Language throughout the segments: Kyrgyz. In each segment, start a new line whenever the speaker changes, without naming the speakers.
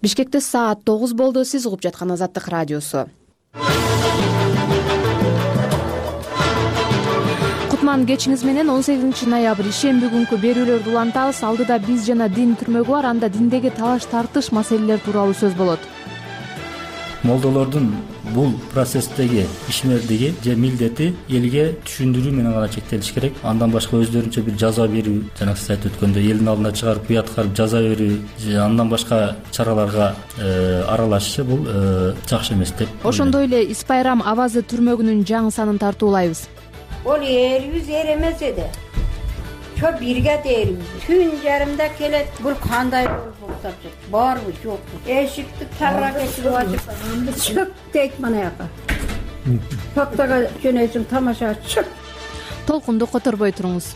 Бишкекте саат 9 болду. Сиз угуп жаткан Азаттык радиосу. Кутман кечиңиз менен 18 ноябрь ишемби күнкү берүүлөрдү улантабыз. Алдыда биз жана дин түрмөгү бар. Анда диндеги талаш-тартыш маселелер тууралуу сөз болот.
Молдолордун бул процесстеги ишмердиги же милдети элге түшүндүрүү менен гана чектелиш керек. Андан башка өздөрүнчө бир жаза берүү, жана сиз айтып өткөндөй элдин алдына чыгарып уяткарып жаза берүү же андан башка чараларга аралашышы бул жакшы эмес деп.
Ошондой эле Испайрам авазы түрмөгүнүн жаңы санын тартуулайбыз.
Ол эрибиз эр эмес эди. Чо бирге дээрбиз. Түн жарымда келет. Бул кандай болуп атат? Барбы, жокпу? Эшикти тарра кечирип ачып, чык дейт мына жака. Токтога жөнөйсүң, тамаша чык.
Толкунду которбой туруңуз.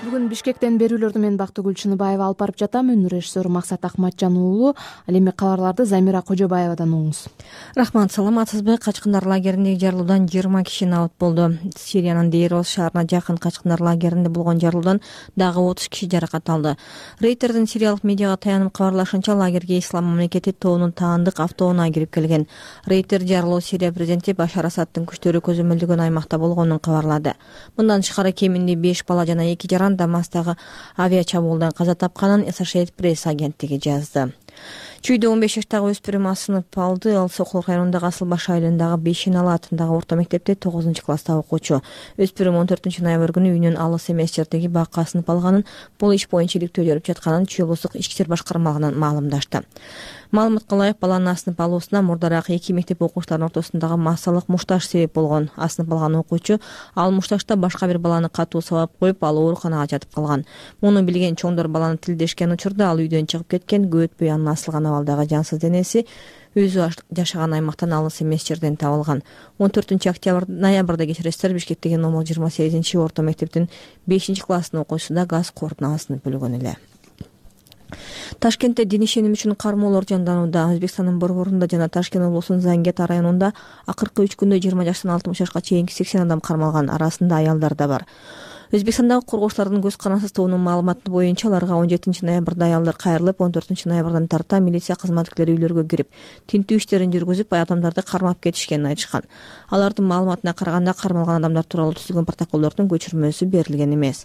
Бүгүн Бишкектен берүүлөрдү мен Бактыгүл Чыныбаева алып барып жатам. Өнөр режиссеру Максат Акматжан уулу. Ал эми кабарларды Замира Кожобаевадан угуңуз.
Рахмат, саламатсызбы? Качкындар лагериндеги жарылуудан 20 киши набыт болду. Сириянын Дейрос шаарына жакын качкындар лагеринде болгон жарылуудан дагы 30 киши жаракат алды. Рейтердин сириялык медиага таянып кабарлашынча, лагерге Ислам мамлекети тобунун таандык автоунаа кирип келген. Рейтер жарылуу Сирия президенти Башар Асаддын күчтөрү көзөмөлдөгөн аймакта болгонун кабарлады. Мындан тышкары кеминде 5 бала жана 2 жаран Дамастагы авиачабуулдан каза тапканын Associated Press агенттиги жазды. Чүйдө 15 жаштагы өспүрүм асынып алды. Ал Сокулук районундагы Асылбаш айылындагы Бешинала атындагы орто мектепте 9-класста окуучу. Өспүрүм 14 ноябрь күнү үйүнөн алыс эмес жердеги бакка асынып алганын, бул иш боюнча иликтөө жүрүп жатканын Чүй облустук ички иштер башкармалыгынан маалымдашты. Маалыматка ылайык, баланын асынып алуусуна мурдараак 2 мектеп окуучуларынын ортосундагы массалык мушташ себеп болгон. Асынып алган окуучу ал мушташта башка бир баланы катуу сабап коюп, ал ооруканага жатып калган. Муну билген чоңдор баланы тилдешкен учурда ал үйдөн чыгып кеткен. Көп өтпөй анын асылган абалдагы жансыз денеси өзү жашаган аймактан алыс эмес жерден табылган. 14 ноябрда кечиресиздер, Бишкектеги номер 28 орто мектептин 5-класстын окуучусу да газ кордуна асынып өлгөн эле. Ташкентте дин ишеним үчүн кармоолор жанданууда. Өзбекстандын борборунда жана Ташкент облусунун Зангет районунда акыркы 3 күндө 20 жаштан 60 жашка чейинки 80 адам кармалган, арасында аялдар да бар. Өзбекстандагы коргоочулардын көз карандысыз тобунун маалыматы боюнча, аларга 17 ноябрда аялдар кайрылып, 14 ноябрдан тарта милиция кызматкерлери үйлөргө кирип, тинтүү иштерин жүргүзүп, адамдарды кармап кетишкенин айтышкан. Алардын маалыматына караганда, кармалган адамдар тууралуу түзүлгөн протоколдордун көчүрмөсү берилген эмес.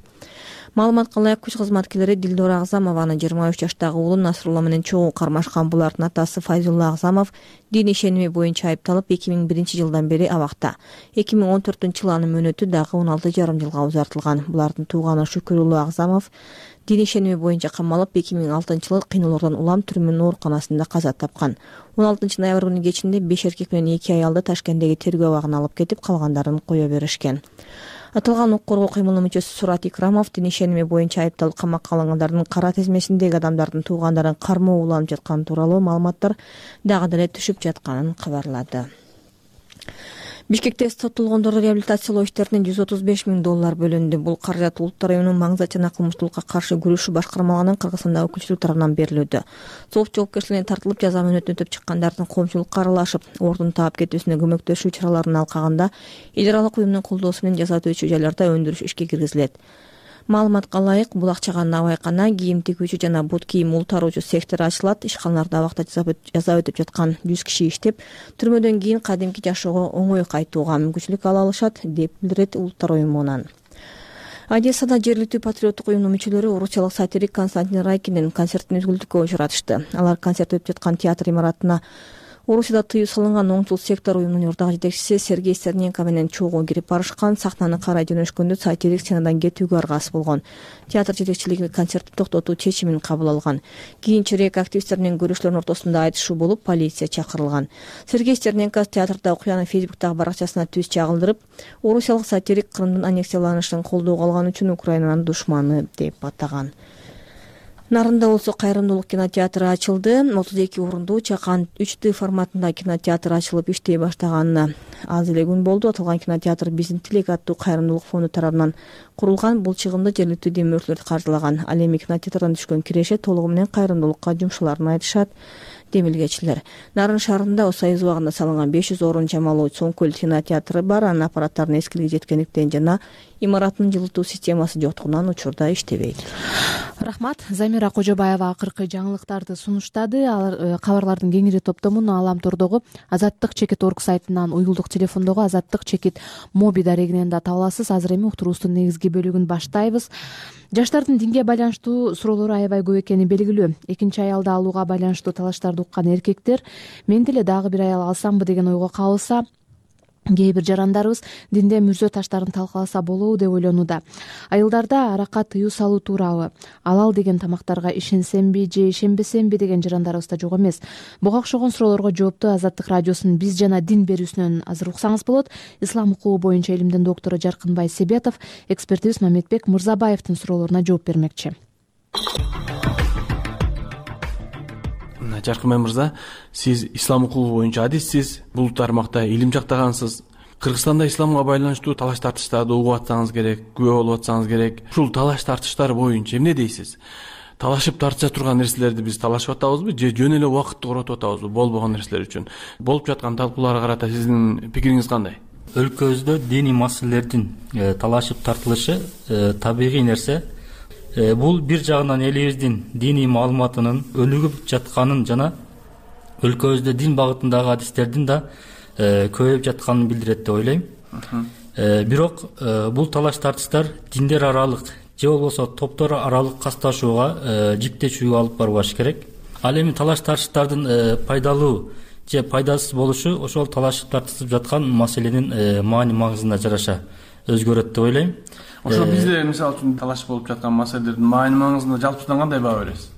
Маалыматка ылайык, күч кызматкерлери Дилдора Агзамованы 23 жаштагы уулу Насрулла менен чогуу кармашкан. Булардын атасы Файзулла Агзамов дин ишеними боюнча айыпталып 2001-жылдан бери абакта. 2014-жылы анын мөөнөтү дагы 16,5 жылга узартылган. Булардын тууганы Шүкүруллу Агзамов дин ишеними боюнча камалып, 2006-жылы кыйноолордон улам түрмөнүн ооруканасында каза тапкан. 16 ноябрь күнү кечинде 5 эркек менен 2 аялды Ташкенттеги тергөө абагына алып кетип, калгандарын кое беришкен. Аталган укук коргоо кыймылынын мүчөсү Сурат Икрамов дин ишеними боюнча айыпталып камакка алынгандардын кара тизмесиндеги адамдардын туугандарын кармоо уланып жатканы тууралуу маалыматтар дагы деле түшүп жатканын кабарлады. Бишкекте соттолгондорду реабилитациялоо иштерине $135,000 бөлүндү. Бул каражат Улуттар уюмунун маңызды жана кылмыштуулукка каршы күрөшүү башкармалыгынын Кыргызстандагы өкүлчүлүк тарабынан берилүүдө. Сот жоопкерчилигине тартылып, жаза мөөнөтүн өтөп чыккандардын коомчулукка аралашып, ордун таап кетүүсүнө көмөктөшүү чараларын алкагында эл аралык уюмдун колдоосу менен жаза өтөөчү жайларда өндүрүш ишке киргизилет. Маалыматка ылайык, булакчага набайкана, кийим тигүүчү жана бут кийим ултаруучу сектор ачылат. Ишканаларда абакта жаза өтүп жаткан 100 киши иштеп, түрмөдөн кийин кадимки жашоого оңой кайтууга мүмкүнчүлүк ала алышат, деп билдирет Улуттар уюмунан. Одессада жергиликтүү патриоттук уюмдун мүчөлөрү орусиялык сатирик Константин Райкиндин концертин үзгүлтүккө учуратышты. Алар концерт өтүп жаткан театр имаратына Орусияда тыюу салынган оңчул сектор уюмунун журдагы жетекчиси Сергей Стерненко менен чогуу кирип барышкан. Сахнаны карай жөнөшкөндө сатирик сценадан кетүүгө аргасыз болгон. Театр жетекчилиги концертти токтотуу чечимин кабыл алган. Кийинчерээк активисттер менен көрүүчүлөрдүн ортосунда айтышуу болуп, полиция чакырылган. Сергей Стерненко театрда окуяны Фейсбуктагы баракчасына түз чагылдырып, орусиялык сатирик Крымдын аннексияланышын колдоого алган үчүн Украинанын душманы деп атаган. Нарында болсо кайрымдуулук кинотеатры ачылды. 32 орундуу Чакан 3D форматында кинотеатр ачылып иштей баштаганына аз эле күн болду. Аталган кинотеатр Биздин тилек аттуу кайрымдуулук фонду тарабынан курулган. Бул чыгымды жергиликтүү демөөрчүлөр каржылаган. Ал эми кинотеатрдан түшкөн киреше толугу менен кайрымдуулукка жумшаларын айтышат демилгечилер. Нарын шаарында Союз убагында салынган 500 орун чамалуу Соңкөл кинотеатры бар. Анын аппараттарынын эскилиги жеткендиктен жана имараттын жылытуу системасы жоктугунан учурда иштебейт.
Рахмат. Замира Кожобаева акыркы жаңылыктарды сунуштады. Кабарлардын кеңири топтомун Аламтордогу Азаттык чекит орг сайтынан, уюлдук телефондогу Азаттык чекит моби дарегинен да таба аласыз. Азыр эми уктуруубуздун негизги бөлүгүн баштайбыз. Жаштардын динге байланыштуу суроолору аябай көп экени белгилүү. Экинчи аялды алууга байланыштуу талаштарды уккан эркектер мен деле дагы бир аял алсамбы деген ойго кабылса, кээ бир жарандарыбыз динде мүрзө таштарын талкаласа болобу деп ойлонууда. Айылдарда аракка тыюу салуу туурабы, алал деген тамактарга ишенсемби же ишенбесемби деген жарандарыбыз да жок эмес. Буга окшогон суроолорго жоопту Азаттык радиосунун Биз жана дин берүүсүнөн азыр уксаңыз болот. Ислам укугу боюнча илимдин доктору Жаркынбай Себетов экспертибиз Мамедбек Мырзабаевдин суроолоруна жооп бермекчи.
Жаркынбай мырза, сиз ислам укугу боюнча адиссиз, бул тармакта илим жактагансыз. Кыргызстанда исламга байланыштуу талаш тартыштарды угуп атсаңыз керек, күбө болуп атсаңыз керек. Ушул талаш тартыштар боюнча эмне дейсиз? Талашып тартыша турган нерселерди биз талашып атабызбы же жөн эле убакытты коротуп атабызбы болбогон нерселер үчүн? Болуп жаткан талкууларга карата сиздин пикириңиз кандай?
Өлкөбүздө диний маселелердин талашып тартылышы табигый нерсе. Бул бир жагынан элибиздин диний маалыматынын өнүгүп жатканын жана өлкөбүздө дин багытындагы адистердин да көбөйүп жатканын билдирет деп ойлойм. Бирок бул талаш тартыштар диндер аралык же болбосо топтор аралык касташууга, жиктешүүгө алып барбаш керек. Ал эми талаш тартыштардын пайдалуу же пайдасыз болушу ошол талашып тартышып жаткан маселенин маани маңызына жараша өзгөрөт деп ойлойм.
Ошо бизде мисалы үчүн талаш болуп жаткан маселелердин маани маңызына жалпысынан кандай баа бересиз?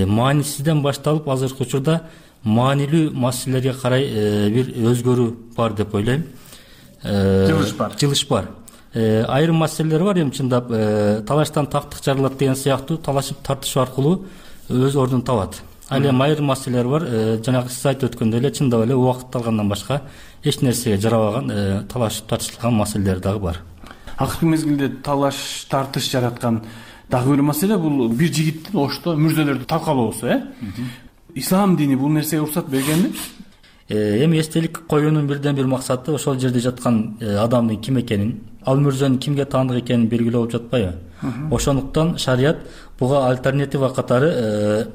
Маанисизден башталып азыркы учурда маанилүү маселелерге карай бир өзгөрүү бар деп ойлойм. Жылыш бар. Айрым маселелер бар, эми чындап талаштан тактык жарылат деген сыяктуу талашып тартышуу аркылуу өз ордун табат. Ал эми айрым маселелер бар, жанагы сиз айтып өткөндөй эле чындап эле убакыт алгандан башка эч нерсеге жарабаган талашып тартышылган маселелер дагы бар.
Акыркы мезгилде талаш тартыш жараткан дагы бир маселе бул бир жигиттин ошто мүрзөлөрдү талкалоосу, Ислам дини бул нерсеге уруксат бергенби?
Эми эстелик коюунун бирден бир максаты ошол жерде жаткан адамдын ким экенин, ал мүрзөнүн кимге таандык экенин белгилөө болуп жатпайбы? Ошондуктан шарият буга альтернатива катары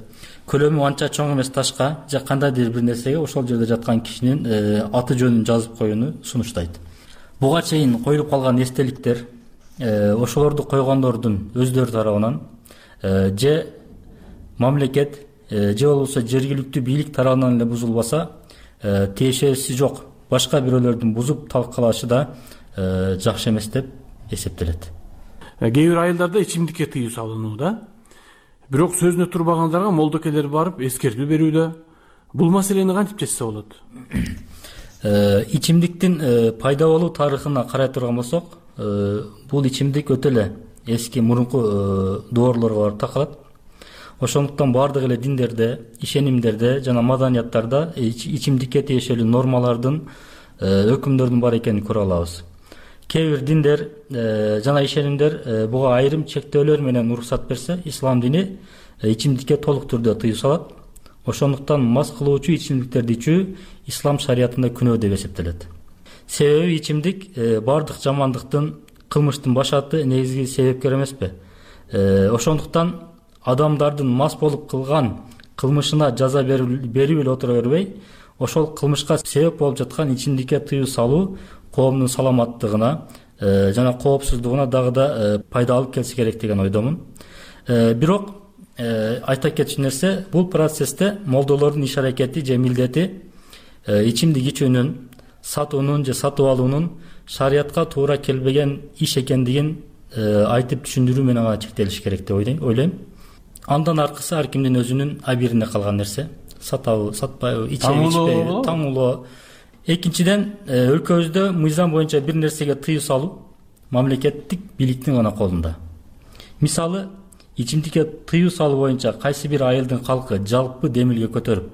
көлөмү анча чоң эмес ташка же кандайдыр бир нерсеге ошол жерде жаткан кишинин аты жөнүн жазып коюуну сунуштайт. Буга чейин коюлуп калган эстеликтер ошолорду койгондордун өздөрү тарабынан же мамлекет же болбосо жергиликтүү бийлик тарабынан эле бузулбаса тиешеси жок башка бирөөлөрдүн бузуп талкалашы да жакшы эмес деп эсептелет.
Кээ бир айылдарда ичимдикке тыюу салынууда. Бирок сөзүнө турбагандарга молдокелер барып эскертүү берүүдө. Бул маселени кантип чечсе болот?
Ичимдиктин пайда болуу тарыхына карай турган болсок, бул ичимдик өтө эле эски мурунку доорлорго барып такалат. Ошондуктан бардык эле диндерде, ишенимдерде жана маданияттарда ичимдикке тиешелүү нормалардын, өкүмдөрдүн бар экенин көрө алабыз. Кээ бир диндер жана ишенимдер буга айрым чектөөлөр менен уруксат берсе, ислам дини ичимдикке толук түрдө тыюу салат. Ошондуктан мас кылуучу ичимдиктерди ичүү ислам шариятында күнөө деп эсептелет. Себеби ичимдик бардык жамандыктын, кылмыштын башаты негизги себепкер эмеспи? Ошондуктан адамдардын мас болуп кылган кылмышына жаза берип эле отура бербей, ошол кылмышка себеп болуп жаткан ичимдикке тыюу салуу коомдун саламаттыгына жана коопсуздугуна дагы да пайда алып келсе керек деген ойдомун. Бирок айта кетчү нерсе, бул процессте молдолордун иш аракети же милдети ичимдик ичүүнүн, сатуунун же сатып алуунун шариятка туура келбеген иш экендигин айтып түшүндүрүү менен гана чектелиш керек деп ойлойм. Андан аркысы ар кимдин өзүнүн абирине калган нерсе. Сатабы, сатпайбы, ичеби, ичпейби, таңулоо. Экинчиден, өлкөбүздө мыйзам боюнча бир нерсеге тыюу салуу мамлекеттик бийликтин гана колунда. Мисалы, ичимдикке тыюу салуу боюнча кайсы бир айылдын калкы жалпы демилге көтөрүп,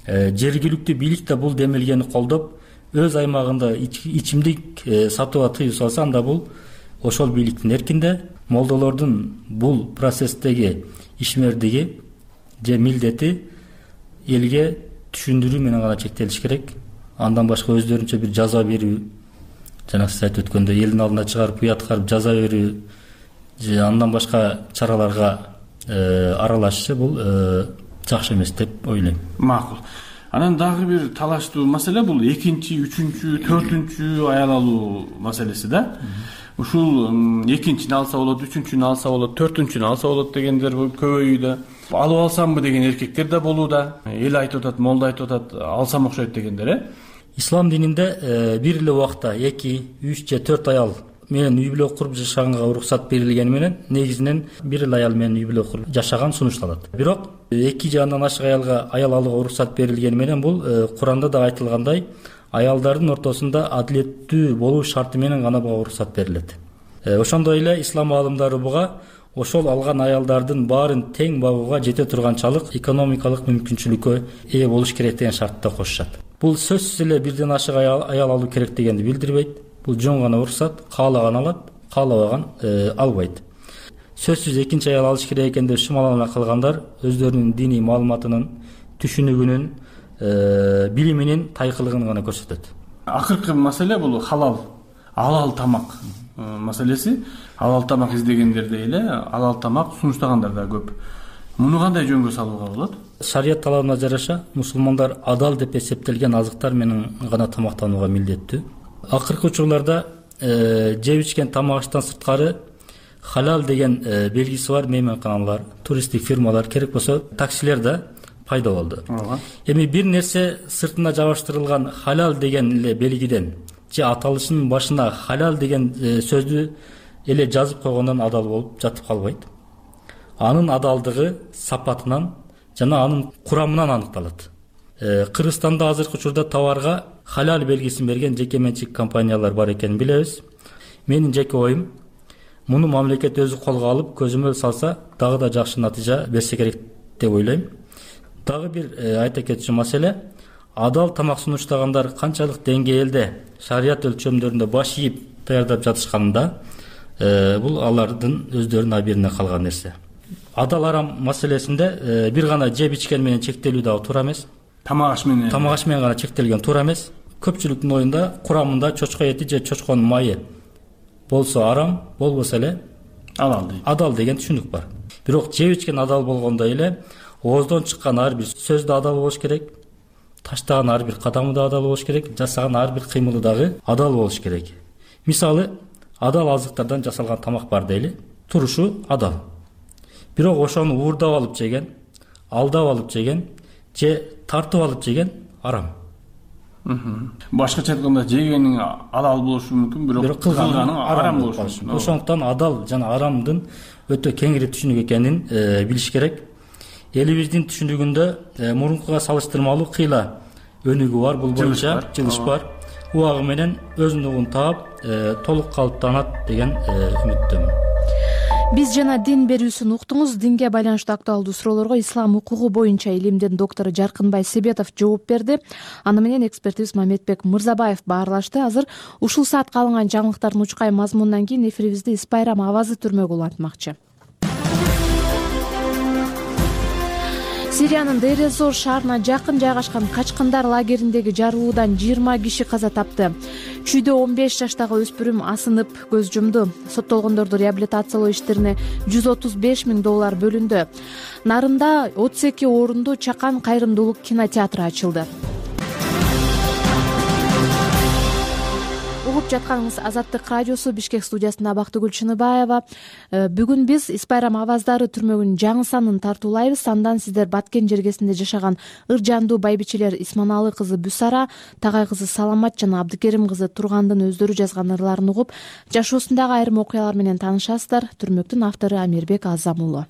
жергиликтүү бийлик да бул демилгени колдоп, өз аймагында ичимдик сатууга тыюу салса, анда бул ошол бийликтин эркинде, молдолордун бул процесстеги ишмердиги же милдети элге түшүндүрүү менен гана чектелиш керек. Андан башка өздөрүнчө бир жаза берүү жанагы сиз айтып өткөндөй элдин алдына чыгарып уяткарып жаза берүү же андан башка чараларга аралашышы бул жакшы эмес деп ойлойм.
Макул. Анан дагы бир талаштуу маселе бул экинчи, үчүнчү, төртүнчү аял алуу маселеси да. Ушул экинчини алса болот, үчүнчүнү алса болот, төртүнчүнү алса болот дегендер көбөйүүдө. Алып алсамбы деген эркектер да болууда. Эл айтып атат, молда айтып атат, алсам окшойт дегендер.
Ислам дининде бир эле убакта 2, 3 же 4 аял менен үй бүлө куруп жашаганга уруксат берилгени менен негизинен бир эле аял менен үй бүлө куруп жашаган сунушталат. Бирок 2 же андан ашык аялга аял алууга уруксат берилгени менен бул Куранда да айтылгандай аялдардын ортосунда адилеттүү болуу шарты менен гана буга уруксат берилет. Ошондой эле ислам аалымдары буга ошол алган аялдардын баарын тең багууга жете турганчалык экономикалык мүмкүнчүлүккө ээ болуш керек деген шартты кошушат. Бул сөзсүз эле бирден ашык аял алуу керек дегенди билдирбейт. Бул жөн гана уруксат, каалаган алат, каалабаган албайт. Сөзсүз экинчи аял алыш керек экен деп шымалана калгандар өздөрүнүн диний маалыматынын, түшүнүгүнүн, билиминин тайкылыгын гана көрсөтөт.
Акыркы маселе бул алал тамак маселеси. Алал тамак издегендерде эле алал тамак сунуштагандар да көп. Муну кандай жөнгө салууга болот?
Шарият талабына жараша мусулмандар адал деп эсептелген азыктар менен гана тамактанууга милдеттүү. Акыркы учурларда жеп ичкен тамак аштан сырткары халал деген белгиси бар мейманканалар, туристтик фирмалар, керек болсо таксилер да пайда болду. Эми бир нерсе сыртына жабыштырылган халал деген эле белгиден же аталышынын башына халал деген сөздү эле жазып койгондон адал болуп жатып калбайт. Анын адалдыгы сапатынан жана анын курамынан аныкталат. Кыргызстанда азыркы учурда товарга халал белгисин берген жеке менчик компаниялар бар экенин билебиз. Менин жеке оюм, муну мамлекет өзү колго алып көзөмөл салса дагы да жакшы натыйжа берсе керек деп ойлойм. Дагы бир айта кетчү маселе, адал тамак сунуштагандар канчалык деңгээлде шарият өлчөмдөрүндө баш ийип даярдап жатышканында бул алардын өздөрүнүн абийирине калган нерсе. Адал арам маселесинде бир гана жеп ичкен менен чектелүү дагы туура эмес.
Тамак аш менен
гана чектелген туура эмес. Көпчүлүктүн оюнда курамында чочко эти же чочконун майы болсо арам, болбосо эле адал деген түшүнүк бар. Бирок жеп ичкен адал болгондой эле ооздон чыккан ар бир сөз да адал болуш керек, таштаган ар бир кадамы да адал болуш керек, жасаган ар бир кыймылы дагы адал болуш керек. Мисалы, адал азыктардан жасалган тамак бар дейли, турушу адал. Бирок ошону уурдап алып жеген, алдап алып жеген же тартып алып жеген арам.
Башкача айтканда жегениң алал болушу мүмкүн, бирок кылганың арам болушу мүмкүн.
Ошондуктан адал жана арамдын өтө кеңири түшүнүк экенин билиш керек. Элибиздин түшүнүгүндө мурункуга салыштырмалуу кыйла өнүгүү бар, бул боюнча жылыш бар. Убагы менен өзүнүн таап, толук калыптанат деген үмүттөмүн.
Биз жана дин берүүсүн уктуңуз. Динге байланыштуу актуалдуу суроолорго ислам укугу боюнча илимдин доктору Жаркынбай Себетов жооп берди. Аны менен экспертибиз Мамедбек Мырзабаев баарлашты. Азыр ушул саатка алынган жаңылыктардын учкай мазмунунан кийин эфирибизди Испайрам авазы түрмөгү улантмакчы. Сириянын Дейр-эз-Зор шаарына жакын жайгашкан качкындар лагериндеги жарылуудан 20 киши каза тапты. Чүйдө 15 жаштагы өспүрүм асынып көз жумду. Соттолгондорду реабилитациялоо иштерине $135,000 бөлүндү. Нарында 32 орунду Чакан кайрымдуулук кинотеатры ачылды. Угуп жатканыңыз Азаттык радиосу, Бишкек студиясында Бактыгүл Чыныбаева. Бүгүн биз Испайрам аваздары түрмөгүнүн жаңы санын тартуулайбыз. Андан сиздер Баткен жергесинде жашаган ыржандуу байбичелер Исманалы кызы Бүсара, Тагай кызы Саламат жана Абдыкерим кызы Тургандын өздөрү жазган ырларын угуп, жашоосундагы айрым окуялар менен таанышасыздар. Түрмөктүн автору Амирбек Азам уулу.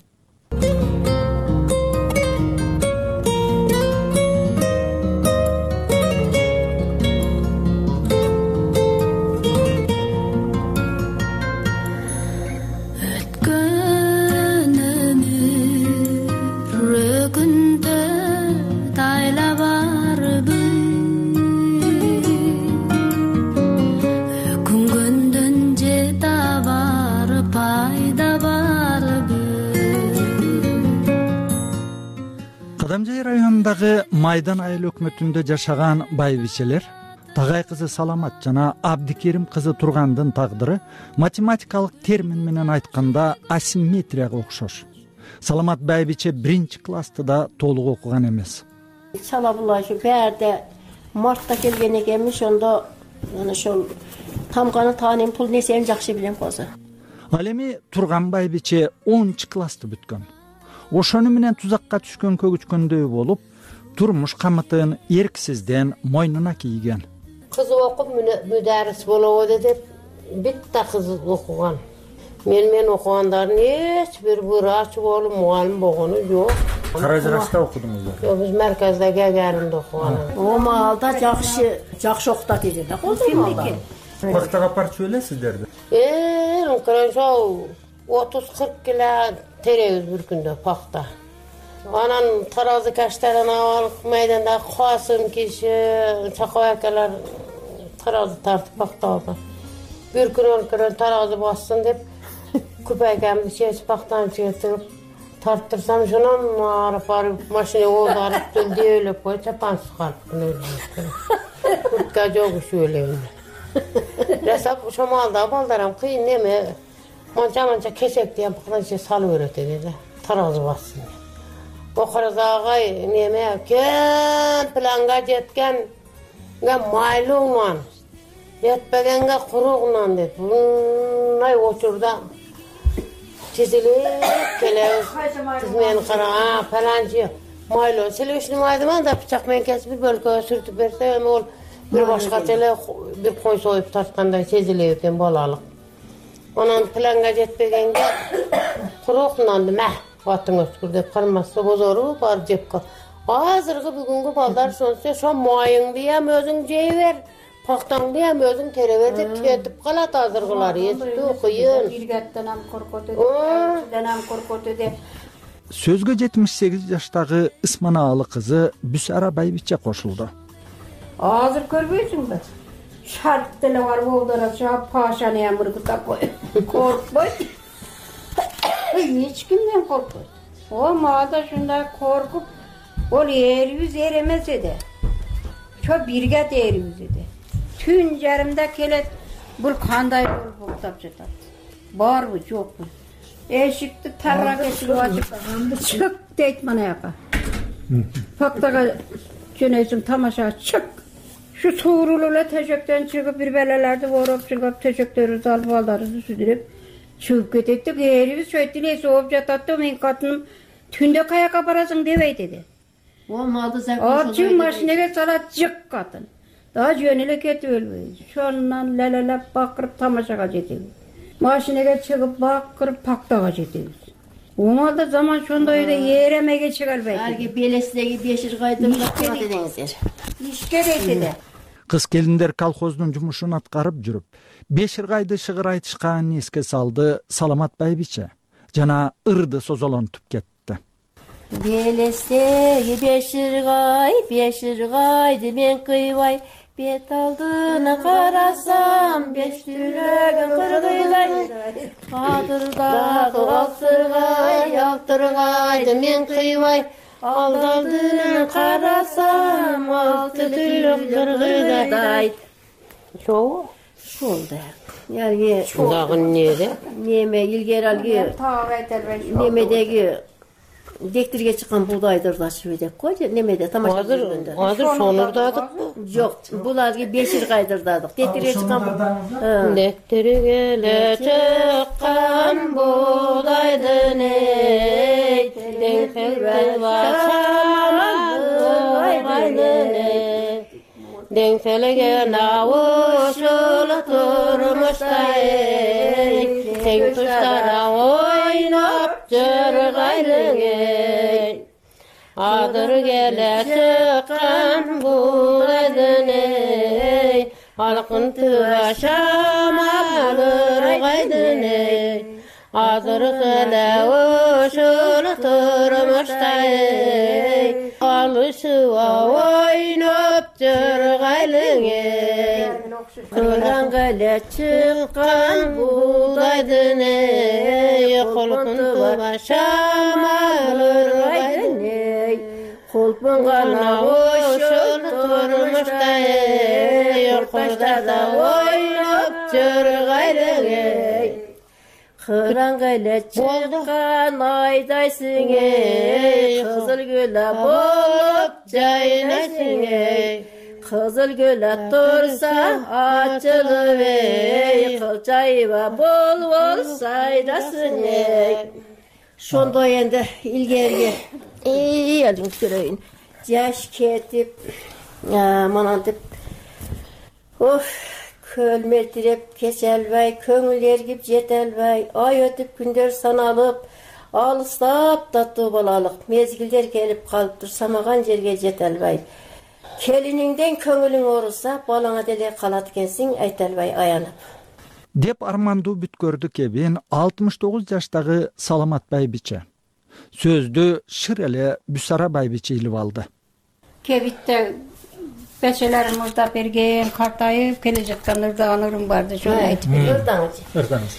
Кадамжай районундагы Майдан айыл өкмөтүндө жашаган байбичелер Тагай кызы Саламат жана Абдикерим кызы Тургандын тагдыры математикалык термин менен айтканда асимметрияга окшош. Саламат Байбиче 1-классты да толук окуган эмес.
Сала булашы бәрде мартта келген экенмин, ошондо ana ошол тамганы таанын пул несени жакшы билем козу.
Ал эми Турган Байбиче 10-классты бүткөн. Ошону менен тузакка түшкөн көгүчкөндөй болуп, турмуш камытын эрксизден мойнуна кийген.
Кыз окуп müdәрис болобу деп битте кыз окуган. Мен окугандардын эч бир врач болуп, мугалим болгону жок.
Каражырашта окудуңузбу?
Жок, биз мерказда Гагаринде окуган.
Маалда жакшы окутат экен да, козумалда.
Пактага апарып жибелесиздерби?
Ошо 30-40 кило теребиз бир күндө пакта. Анан таразы каштарын алып майданда Касым киши, Чакабай акалар таразы тартып пакталды. Бир күн таразы бассын деп күпәйкәмди чечип пактаны чыгырып тарттырсам, шунан арып машина оодарып дөөлөп коюп чапан чыгарып куртка жок шөлөйм. Жасап шомалда балдарым кыйын неме манча кесек деген пактаны салып берет эди, таразы бассын. Окаразагай неме кем планга жеткен майлуңан жетпегенге куругунан деп мындай учурда тизилип келебиз. Сиз мени кара, паланчы майлоо селешни майдыман да бычак менен кесип бир бөлкөгө сүртүп берсе, эми ол бир башкача эле бир кой союп тарткандай сезилип экен балалык. Анан планга жетпегенге куругунан атың өткүр деп кармаса бозору бар жепке. Азыркы бүгүнгү балдар ошо майыңды ham өзүң жей бер, пактаңды ham өзүң тере бер деп кетип калат азыркылар. Эстүү кыйын.
Биргаттан коркоту деп.
Сөзгө 78 жаштагы Ысманаалы кызы Бүсара Байбиче кошулду.
Азыр көрбөйсүңбү? Шарт деле бар болдора чап пашаны ham ыргытап кой. Коркпой. Эч кимден коркпойт. О маада шундай коркуп, ол эрибиз эр эмес эди. Чо бирге эрибиз эди. Түн жарымда келет, бул кандай болуп уктап жатат. Барбы, жокпу? Эшикти тарак эшик ачып, чык дейт мына жака. Пактага жөнөйсүң тамаша чык. Şu tuğruluyla teşekten çıkıp bir belelerde vurup çıkıp teşekleri salıp baldarızı südürüp çıkıp kettik. Erimiz şöyle soğup jatattı. Men katınım tünde kayaka parasın devey dedi.
Olmadı sen
Açın maşineye salat çık katın. Daha jönele ketip ölmeyiz. Şondan lelelep bakırıp tamaşaga jetibiz. Maşineye çıkıp bakırıp paktaga jetibiz. Olmadı zaman şondaydı yeremege çıkarbaydı.
Ergi belesdegi beşir kaydırıp dedingizler.
İşke deydi.
Кыз келиндер колхоздун жумушун аткарып жүрүп, Беширгайды шыгыр айтышканын эске салды Саламат Байбиче жана ырды созолонтуп кетти.
Белестеги беширгайды мен кыйбай, бет алдына карасам, беш түлөгөн кыргыйлай. Кадырдагы алтыргайды мен кыйбай, алдына карасам, алты түлөк кыргыйлай.
Шо?
Şolda. Yani
Dağın nere?
Neme ilgeri algı. Nemedeki dektirge çıkan buğdaydır da şöyle koy. Nemede tamaşa
Hazır sonurdadık bu.
Yok. Bular gibi beşir kaydırdadık. Dektirge çıkan
Dektirge çıkan buğdaydı ney. Denkelde başamadı ney. Denkselege navuşul turmuştay, tek tuşlara oynap jırgaydın. Adır gele çıkan buğdaydın ey, halkın başamalır gaydın ey. Adır gele uşul turmuştay, alışıva oynap jırgaydın ey. Kırgan gele çıkan buğdaydın ey, halkın başamalır gaydın ey. Kolpun gana uşul турмушта юркурда ойноп жүр кайрың эй.
Кыраңга эле чыккан айдайсың эй, кызыл гүл
Болуп жайнайсың эй.
Кызыл гүл турса ачылып эй, кылчайба бол сайрасың эй. Ошондой энди илгерги элиңиз көрөйүн. Жаш кетип, монантип көл мелтиреп кече албай, көңүл эргип жете албай, ай өтүп күндөр саналып, алыстап таттуу балалык мезгилдер келип калыптыр, самаган жерге жете албай. Келиниңден көңүлүң ооруса, балаңа деле калат экенсиң, айта албай аянып.
Деп армандуу бүткөрдү кебин 69 жаштагы Саламат байбиче. Сөздү шыр эле Бүсара байбиче илип алды.
Кебитте бечелерим муздап берген, картайып келе жаткан ырдаган барды, шону айтып берем.
Ырдаңыз.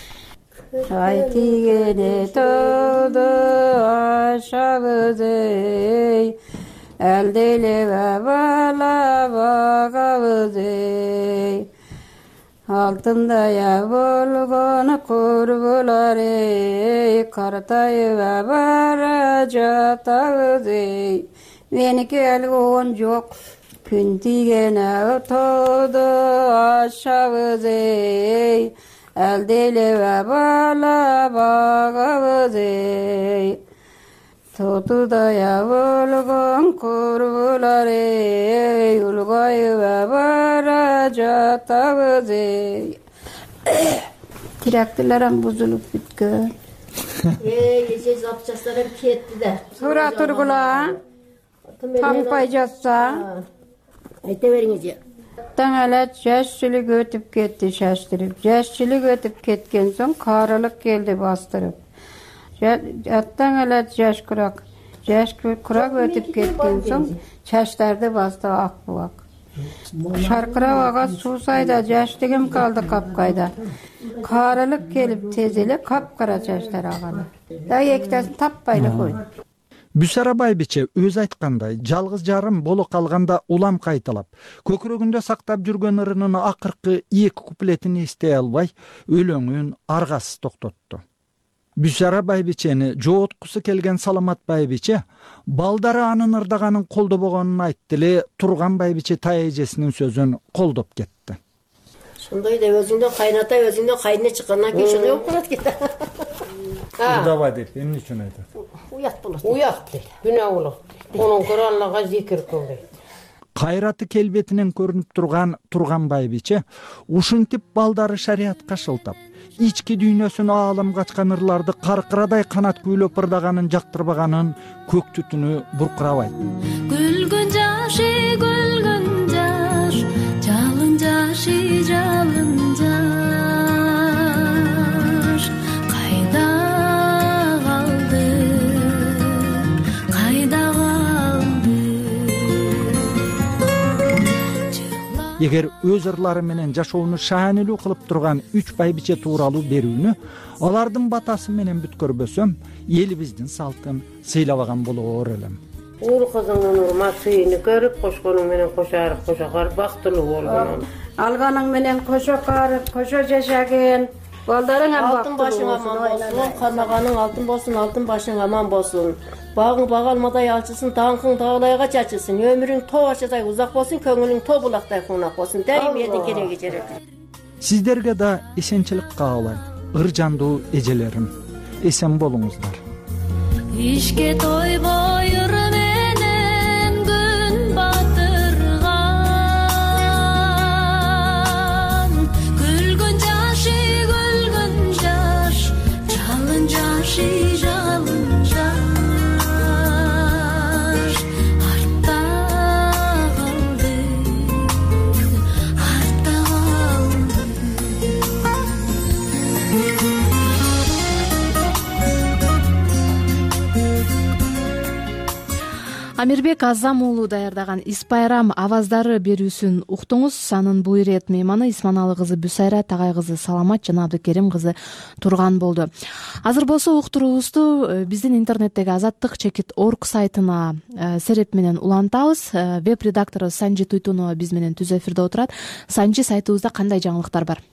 Ай тигене тоду ашабыз эй, элделебе бала багабыз эй. Алтындая болгон курбулар эй, картайып бара жатабыз эй. Меники эле он жок, күн тигене тоду ашабыз эй, элделебе бала багабыз эй. Тотудая болгон курбулар эй, улгайып бара жатабыз эй. Тирактыларым бузулуп бүткөн.
Эже запчастарым кетти да.
Тура тургула. Таңпай жатса.
Айта бериңиз.
Таң эле жашчылык өтүп кетти шаштырып. Жашчылык өтүп кеткен соң карылык келди бастырып. Аттан эле жаш курак өтүп кеткен соң чачтарды басты ак булак. Шаркырап ага суу сайда жаштыгым калды капкайда. Карылык келип тез эле капкара чачтар аганы. Да экитасын таппайлы койду.
Бүсара байбиче өз айткандай, жалгыз жарым боло калганда улам кайталап, көкүрөгүндө сактап жүргөн ырынын акыркы 2 куплетин эстей албай, өлөңүн аргасыз токтотту. Бүсара байбичени жооткусу келген Саламат байбиче балдары анын ырдаганын колдобогонун айтты эле, Турган байбиче тайэжесинин сөзүн колдоп кетти.
Ошондой да өзүңдөн кайната, өзүңдөн кайнына чыккандан кийин ошондой болуп калат экен.
Ырдабай деп, эмне үчүн айтат?
Уят болот.
Уят дейт, күнөө болот. Онун көрө Аллага зикир көп дейт.
Кайраты келбетинен көрүнүп турган Турган байбиче ушинтип балдары шариатка шылтап, ички дүйнөсүнө аалымга ачкан ырларды каркырадай канат күйлөп ырдаганын жактырбаганын көк түтүнү буркурабайт.
Гүлгүн жаш, жалын жашы, жалын жаш. Кайда калды?
Эгер өз ырлары менен жашоону шаанилүү кылып турган 3 байбиче тууралуу берүүнү алардын батасы менен бүткөрбөсөм, элибиздин салтын сыйлабаган болоор элем.
Уул кызыңдын урмат сыйыны көрүп, кошконуң менен кошарып, кошокар бактылуу болгон.
Алганың менен кошо карып, кошо жашаган. Балдарың
Алтын башың аман болсун, кармаганың алтын болсун, алтын башың аман болсун. Багың багалмадай ачылсын, даңкың дагылайга чачылсын, өмүрүң тоо ачадай узак болсун, көңүлүң тоо булактай куунак болсун. Дайым элдин кереги жерек.
Сиздерге да эсенчилик каалайм, ыр жандуу эжелерим. Эсен болуңуздар.
Ишке тойбой ыр менен күн батырган. Күлгүн жаш, жалын жашы, жалын жаш. Артта калды, артта калды.
Амирбек Азам уулу даярдаган Ис Байрам аваздары берүүсүн уктуңуз. Анын бул ирет мейманы Исманалы кызы Бүсайра, Тагай кызы Саламат жана Абдыкерим кызы Турган болду. Азыр болсо уктуруубузду биздин интернеттеги azattik.org сайтына сереп менен улантабыз. Веб-редактору Санжи Туйтунова биз менен түз эфирде отурат. Санжи, сайтыбызда кандай жаңылыктар бар?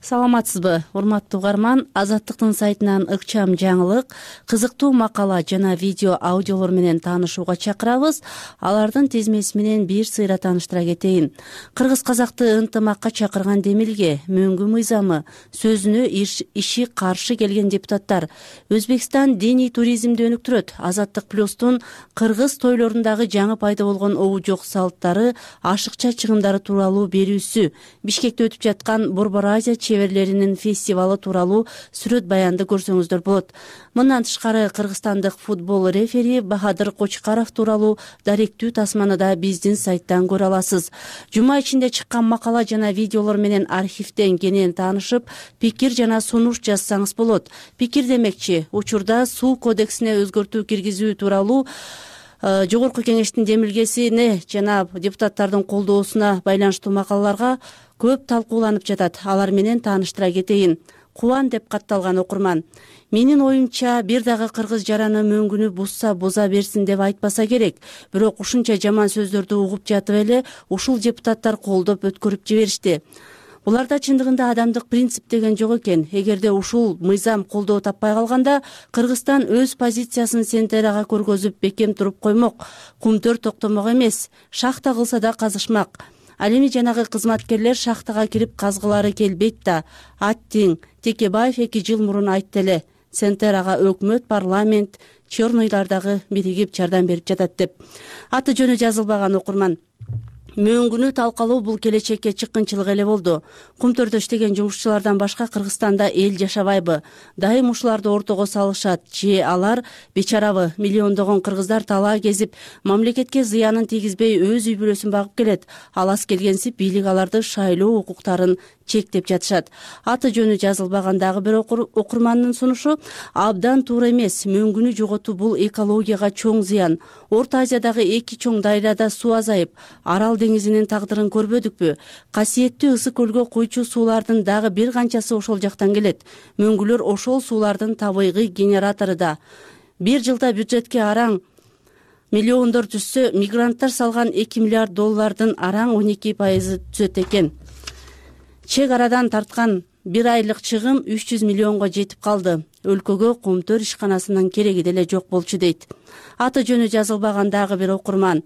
Саламатсызбы, урматтуу угарман. Азаттыктын сайтынан ыкчам жаңылык, кызыктуу макала жана видео аудиолор менен таанышууга чакырабыз. Алардын тизмеси менен бир сыйра тааныштыра кетейин. Кыргыз казакты ынтымакка чакырган Демилге, мөңгү мыйзамы, сөзүнө иши каршы келген депутаттар, Өзбекстан диний туризмди өнүктүрөт, Азаттык плюстун кыргыз тойлорундагы жаңы пайда болгон обу жок салттары, ашыкча чыгымдары тууралуу берүүсү, Бишкекте өтүп жаткан Борбор Азия чеберлеринин фестивалы тууралуу сүрөт баянды көрсөңүздөр болот. Мындан тышкары кыргызстандык футбол рефери Бахадыр Кочкаров тууралуу даректүү тасманы да биздин сайттан көрө аласыз. Жума ичинде чыккан макала жана видеолор менен архивден кенен таанышып, пикир жана сунуш жазсаңыз болот. Пикир демекчи, учурда суу кодексине өзгөртүү киргизүү тууралуу Жогорку кеңештин демилгесине жана депутаттардын колдоосуна байланыштуу макалаларга көп талкууланып жатат. Алар менен тааныштыра кетейин. Кубан деп катталган окурман. Менин оюмча, бир дагы кыргыз жараны мөңгүнү бузса боза берсин деп айтпаса керек. Бирок ушунча жаман сөздөрдү угуп жатып эле ушул депутаттар колдоп өткөрүп жиберишти. Буларда чындыгында адамдык принцип деген жок экен. Эгерде ушул мыйзам колдоо таппай калганда, Кыргызстан өз позициясын сентерага көргөзүп бекем туруп коймок. Кумтөр токтомок эмес, шахта кылса да казышмак. Ал эми жанагы кызматкерлер шахтага кирип казгылары келбейт да. Аттиң, Текебаев 2 жыл мурун айтты эле. Сентерага өкмөт, парламент, чорнойлардагы биригип жардам берип жатат деп. Аты жөнү жазылбаган окурман. Мөңгүнү талкалоо бул келечекке чыккынчылык эле болду. Кумтөрдө иштеген жумушчулардан башка Кыргызстанда эл жашабайбы? Дайым ушуларды ортого салышат. Же алар бечарабы? Миллиондогон кыргыздар талаа кезип, мамлекетке зыянын тийгизбей өз үй бүлөсүн багып келет. Алас келгенсип бийлик аларды шайлоо укуктарын чектеп жатышат. Аты жөнү жазылбаган дагы бир окурмандын сунушу абдан туура эмес. Мөңгүнү жоготуу бул экологияга чоң зыян. Орто Азиядагы 2 чоң дайрада суу азайып, Арал деңизинин тагдырын көрбөдүкпү? Касиеттүү Ысык көлгө куйчу суулардын дагы бир канчасы ошол жактан келет. Мөңгүлөр ошол суулардын табигый генератору да. Бир жылда бюджетке араң миллиондор түшсө, мигранттар салган $2 миллиард араң 12% түзөт экен. Чек арадан тарткан бир айлык чыгым 300 миллионго жетип калды. Өлкөгө Кумтөр ишканасынын кереги деле жок болчу дейт. Аты жөнү жазылбаган дагы бир окурман.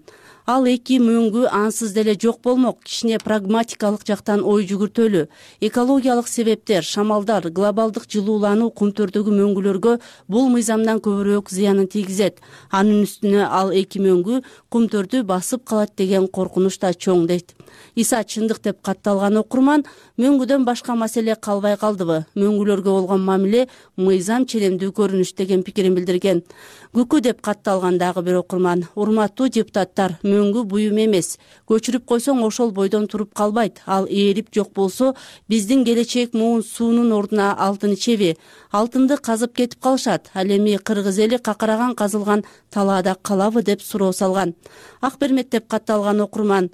Ал 2 мөңгү ансыз деле жок болмок. Кичине прагматикалык жактан ой жүгүртөлү. Экологиялык себептер, шамалдар, глобалдык жылуулануу Кумтөрдөгү мөңгүлөргө бул мыйзамдан көбүрөөк зыянын тийгизет. Анын үстүнө ал 2 мөңгү Кумтөрдү басып калат деген коркунуч да чоң дейт. Иса чындык деп катталган окурман, мөңгүдөн башка маселе калбай калдыбы? Мөңгүлөргө болгон мамиле мыйзам челемдүү көрүнүш деген пикирин билдирген. Күкү деп катталган дагы бир окурман. Урматтуу депутаттар, мөңгү буюм эмес. Көчүрүп койсоң ошол бойдон туруп калбайт. Ал ээрип жок болсо, биздин келечек муун суунун ордуна алтын ичеби? Алтынды казып кетип калышат. Ал эми кыргыз эли какараган казылган талаада калабы деп суроо салган. Акбермет деп катталган окурман.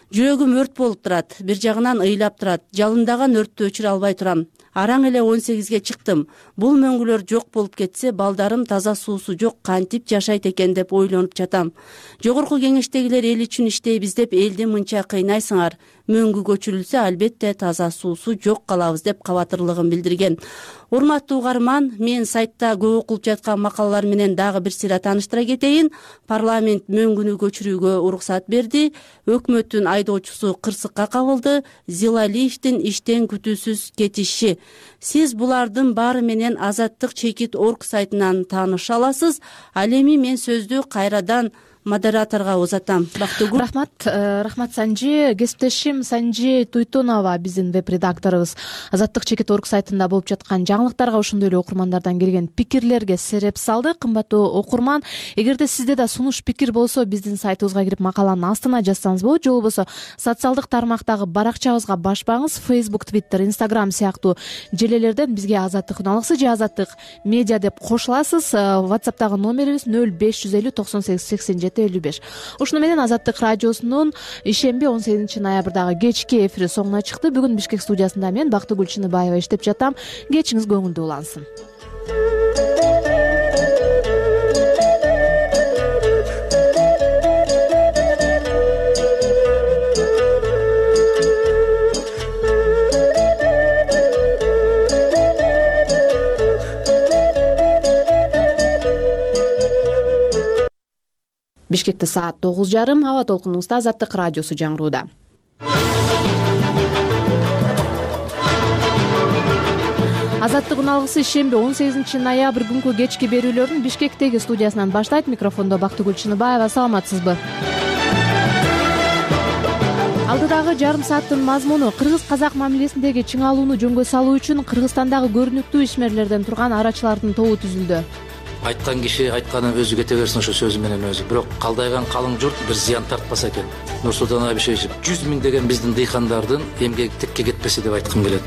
Жүрөгүм өрт болуп турат, бир жагынан ыйлап турат. Жалындаган өрттү өчүрө албай турам. Араң эле 18ге чыктым. Бул мөңгүлөр жок болуп кетсе, балдарым таза суусу жок кантип жашайт экен деп ойлонуп жатам. Жогорку кеңештегилер эл үчүн иштейбиз деп элди мынча кыйнайсыңар. Мөңгү көчүрүлсө, албетте таза суусу жок калабыз деп кабатырлыгын билдирген. Урматтуу угарман, мен сайтта көп окулуп жаткан макалалар менен дагы бир сыйра тааныштыра кетейин. Парламент мөңгүнү көчүрүүгө уруксат берди. Өкмөттүн айдоочусу кырсыкка кабылды. Зилалиевдин иштен күтүүсүз кетиши. Сиз булардын баары менен azattik.org сайтынан тааныша аласыз. Ал эми мен сөздү кайрадан модераторго узатам. Бактыгүл.
Рахмат Санжи. Кесиптешим Санжи Туйтунова биздин веб-редакторубуз azattik.org сайтында болуп жаткан жаңылыктарга, ошондой эле окурмандардан келген пикирлерге сереп салды. Кымбаттуу окурман, эгерде сизде да сунуш пикир болсо, биздин сайтыбызга кирип макаланын астына жазсаңыз болот. Же болбосо социалдык тармактагы баракчабызга башпаңыз. Facebook, Twitter, Instagram сыяктуу желелерден бизге Азаттык үналыксы же Азаттык медиа деп кошуласыз. WhatsApp'тагы номерибиз 0550 98 87 17:55. Ушуну менен Азаттык радиосунун ишемби 18 ноябрдагы кечки эфири соңуна чыкты. Бүгүн Бишкек студиясында мен Бактыгүл Чыныбаева иштеп жатам. Кечиңиз көңүлдүү улансын. Бишкекте саат 9:30. Аба толкунубузда Азаттык радиосу жаңырууда. Азаттыгын алгысы ишемби 18 ноябрь күнкү кечки берүүлөрүн Бишкектеги студиясынан баштайт. Микрофондо Бактыгүл Чыныбаева. Саламатсызбы? Алдыдагы жарым сааттын мазмуну кыргыз-казак мамилесиндеги чыңалууну жөнгө салуу үчүн Кыргызстандагы көрүнүктүү ишмерлерден турган арачылардын тобу түзүлдү.
Айткан киши айтканын өзү кете берсин ошо сөзү менен өзү. Бирок калдайган калың журт бир зыян тартпаса экен. Нурсултан Абишевич 100 миң деген биздин дыйкандардын эмгеги текке кетпесе деп айткым келет.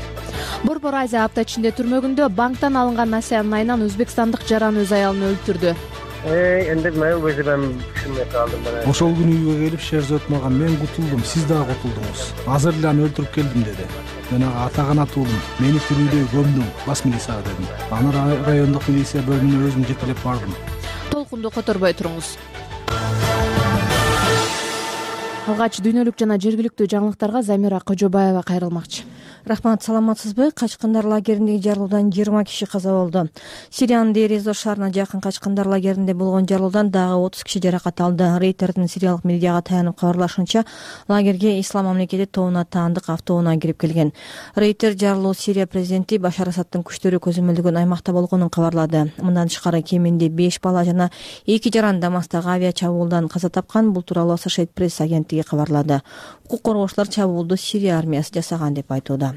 Борбор Азия апта ичинде түрмөгүндө банктан алынган насыянын айынан өзбекстандык жаран өз аялын өлтүрдү.
Эндек мен өзү түшүнбөй калдым.
Ошол күнү үйгө келип Шерзод мага мен кутулдум, сиз дагы кутулдуңуз. Азыр эле аны өлтүрүп келдим деди. Мен ага атаганат уулум, мени тирүүдөй көмдүң, бас милицияга дедим. Аны райондук милиция бөлүмүнө өзүм жетелеп бардым.
Толкунду которбой туруңуз. Алгач дүйнөлүк жана жергиликтүү жаңылыктарга Замира Кожобаева кайрылмакчы.
Рахмат, саламатсызбы? Качкындар лагериндеги жарылуудан 20 киши каза болду. Сириянын Дейр-эз-Зор шаарына жакын качкындар лагеринде болгон жарылуудан дагы 30 киши жаракат алды. Рейтердин сириялык медиага таянып кабарлашынча, лагерге Ислам мамлекети тобуна таандык автоунаа кирип келген. Рейтер жарылуу Сирия президенти Башар Асадтын күчтөрү көзөмөлдөгөн аймакта болгонун кабарлады. Мындан тышкары кеминде 5 бала жана 2 жаран Дамастагы авиа чабуулдан каза тапкан. Бул тууралуу Associated Press агенттиги кабарлады. Укук коргоочулар чабуулду Сирия армиясы жасаган деп айтууда.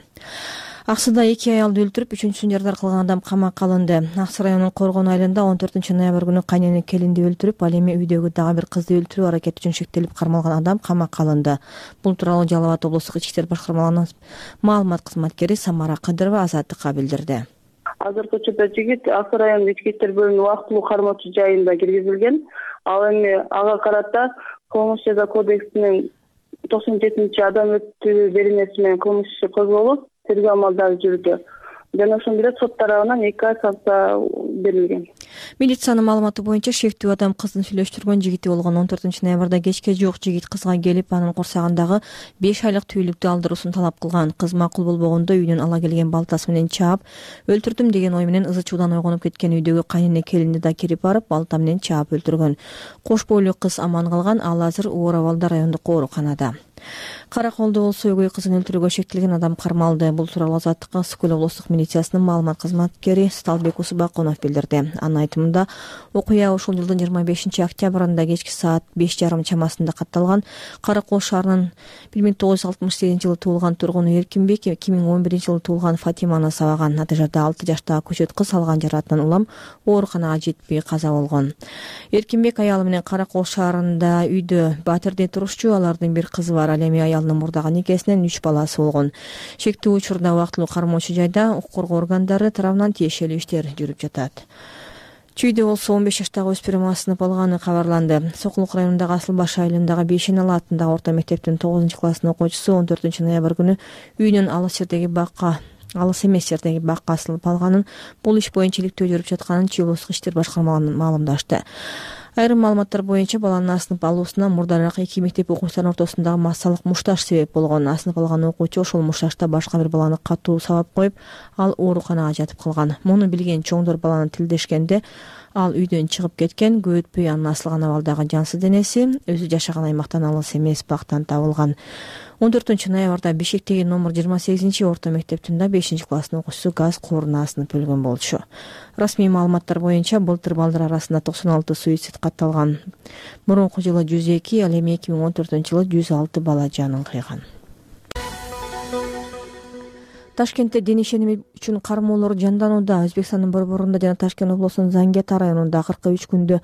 Аксыда 2 аялды өлтүрүп, 3-сүн жардар кылган адам камакка алынды. Аксы районунун Коргон айылында 14 ноябрь күнү кайнене келинди өлтүрүп, ал эми үйдөгү дагы бир кызды өлтүрүү аракети үчүн шектелип кармалган адам камакка алынды. Бул тууралуу Жалал Абад облустук ички иштер башкармалыгынын маалымат кызматкери Самара Кадырова Азаттыкка билдирди.
Азыркы учурда жигит Аксы районунун ички иштер бөлүмүнүн убактылуу кармоочу жайында киргизилген. Ал эми ага карата Кылмыш жаза кодексинин 97-адам өлтүрүү беренеси менен кылмыш иши козголуп, тергөө амалдары жүрүүдө. Жана ошондой эле сот тарабынан 2 ай санкция берилген.
Милициянын маалыматы боюнча шектүү адам кыздын сүйлөштүргөн жигити болгон. 14 ноябрда кечке жуук жигит кызга келип, анын курсагындагы 5 айлык түүлүктү алдыруусун талап кылган. Кыз макул болбогондо үйдөн ала келген балтасы менен чаап, өлтүрдүм деген ой менен ызы чуудан ойгонуп кеткен үйдөгү кайнене келинди да кирип барып, балта менен чаап өлтүргөн. Кош бойлуу кыз аман калган, ал азыр оор абалда райондук ооруканада. Караколдо болсо өгөй кызын өлтүрүүгө шектелген адам кармалды. Бул тууралуу Азаттыкка Сукул облустук милициясынын маалымат кызматкери Сталбек Усубакунов билдирди. Анын айтымында, окуя ушул жылдын 25 октябрында кечки саат 5:30 чамасында катталган. Каракол шаарынын 1968 жылы туулган тургуну Эркинбек 2011 жылы туулган Фатиманы сабаган. Натыйжада 6 жаштагы көчөт кыз алган жарааттан улам ооруканага жетпей каза болгон. Эркинбек аялы менен Каракол шаарында үйдө батирде турушчу, алардын бир кызы бар. Ал эми аялынын мурдагы никесинен 3 баласы болгон. Шектүү учурда убактылуу кармоочу жайда укук коргоо органдары тарабынан тиешелүү иштер жүрүп жатат. Чүйдө болсо 15 жаштагы өспүрүм асынып алганы кабарланды. Сокулук районундагы Асылбаш айылындагы Бейшеналы аттындагы орто мектептин 9-класстын окуучусу 14 ноябрь күнү үйүнүн алыс эмес жердеги бакка асылып алганын, бул иш боюнча иликтөө жүрүп жатканын Чүй облустук иштер башкармалыгынан маалымдашты. Айрым маалыматтар боюнча баланын асынып алуусуна мурдараак 2 мектеп окуучуларынын ортосундагы массалык мушташ себеп болгон. Асынып алган окуучу ошол мушташта башка бир баланы катуу сабап коюп, ал ооруканага жатып калган. Муну билген чоңдор баланы тилдешкенде, ал үйдөн чыгып кеткен. Көп өтпөй анын асылган абалдагы жансыз денеси өзү жашаган аймактан алыс эмес бактан табылган. 14 ноябрда Бишкектеги номер 28 орто мектептин 5-класстын окуучусу газ кооруна асынып өлгөн болчу. Расмий маалыматтар боюнча былтыр балдар арасында 96 суицид катталган. Мурунку жылы 102, ал эми 2014 жылы 106 бала жанын кыйган. Ташкентте дене ишеними үчүн кармоолор жанданууда. Өзбекстандын Борборунда жана Ташкент облусунун Зангета районунда 43 күндө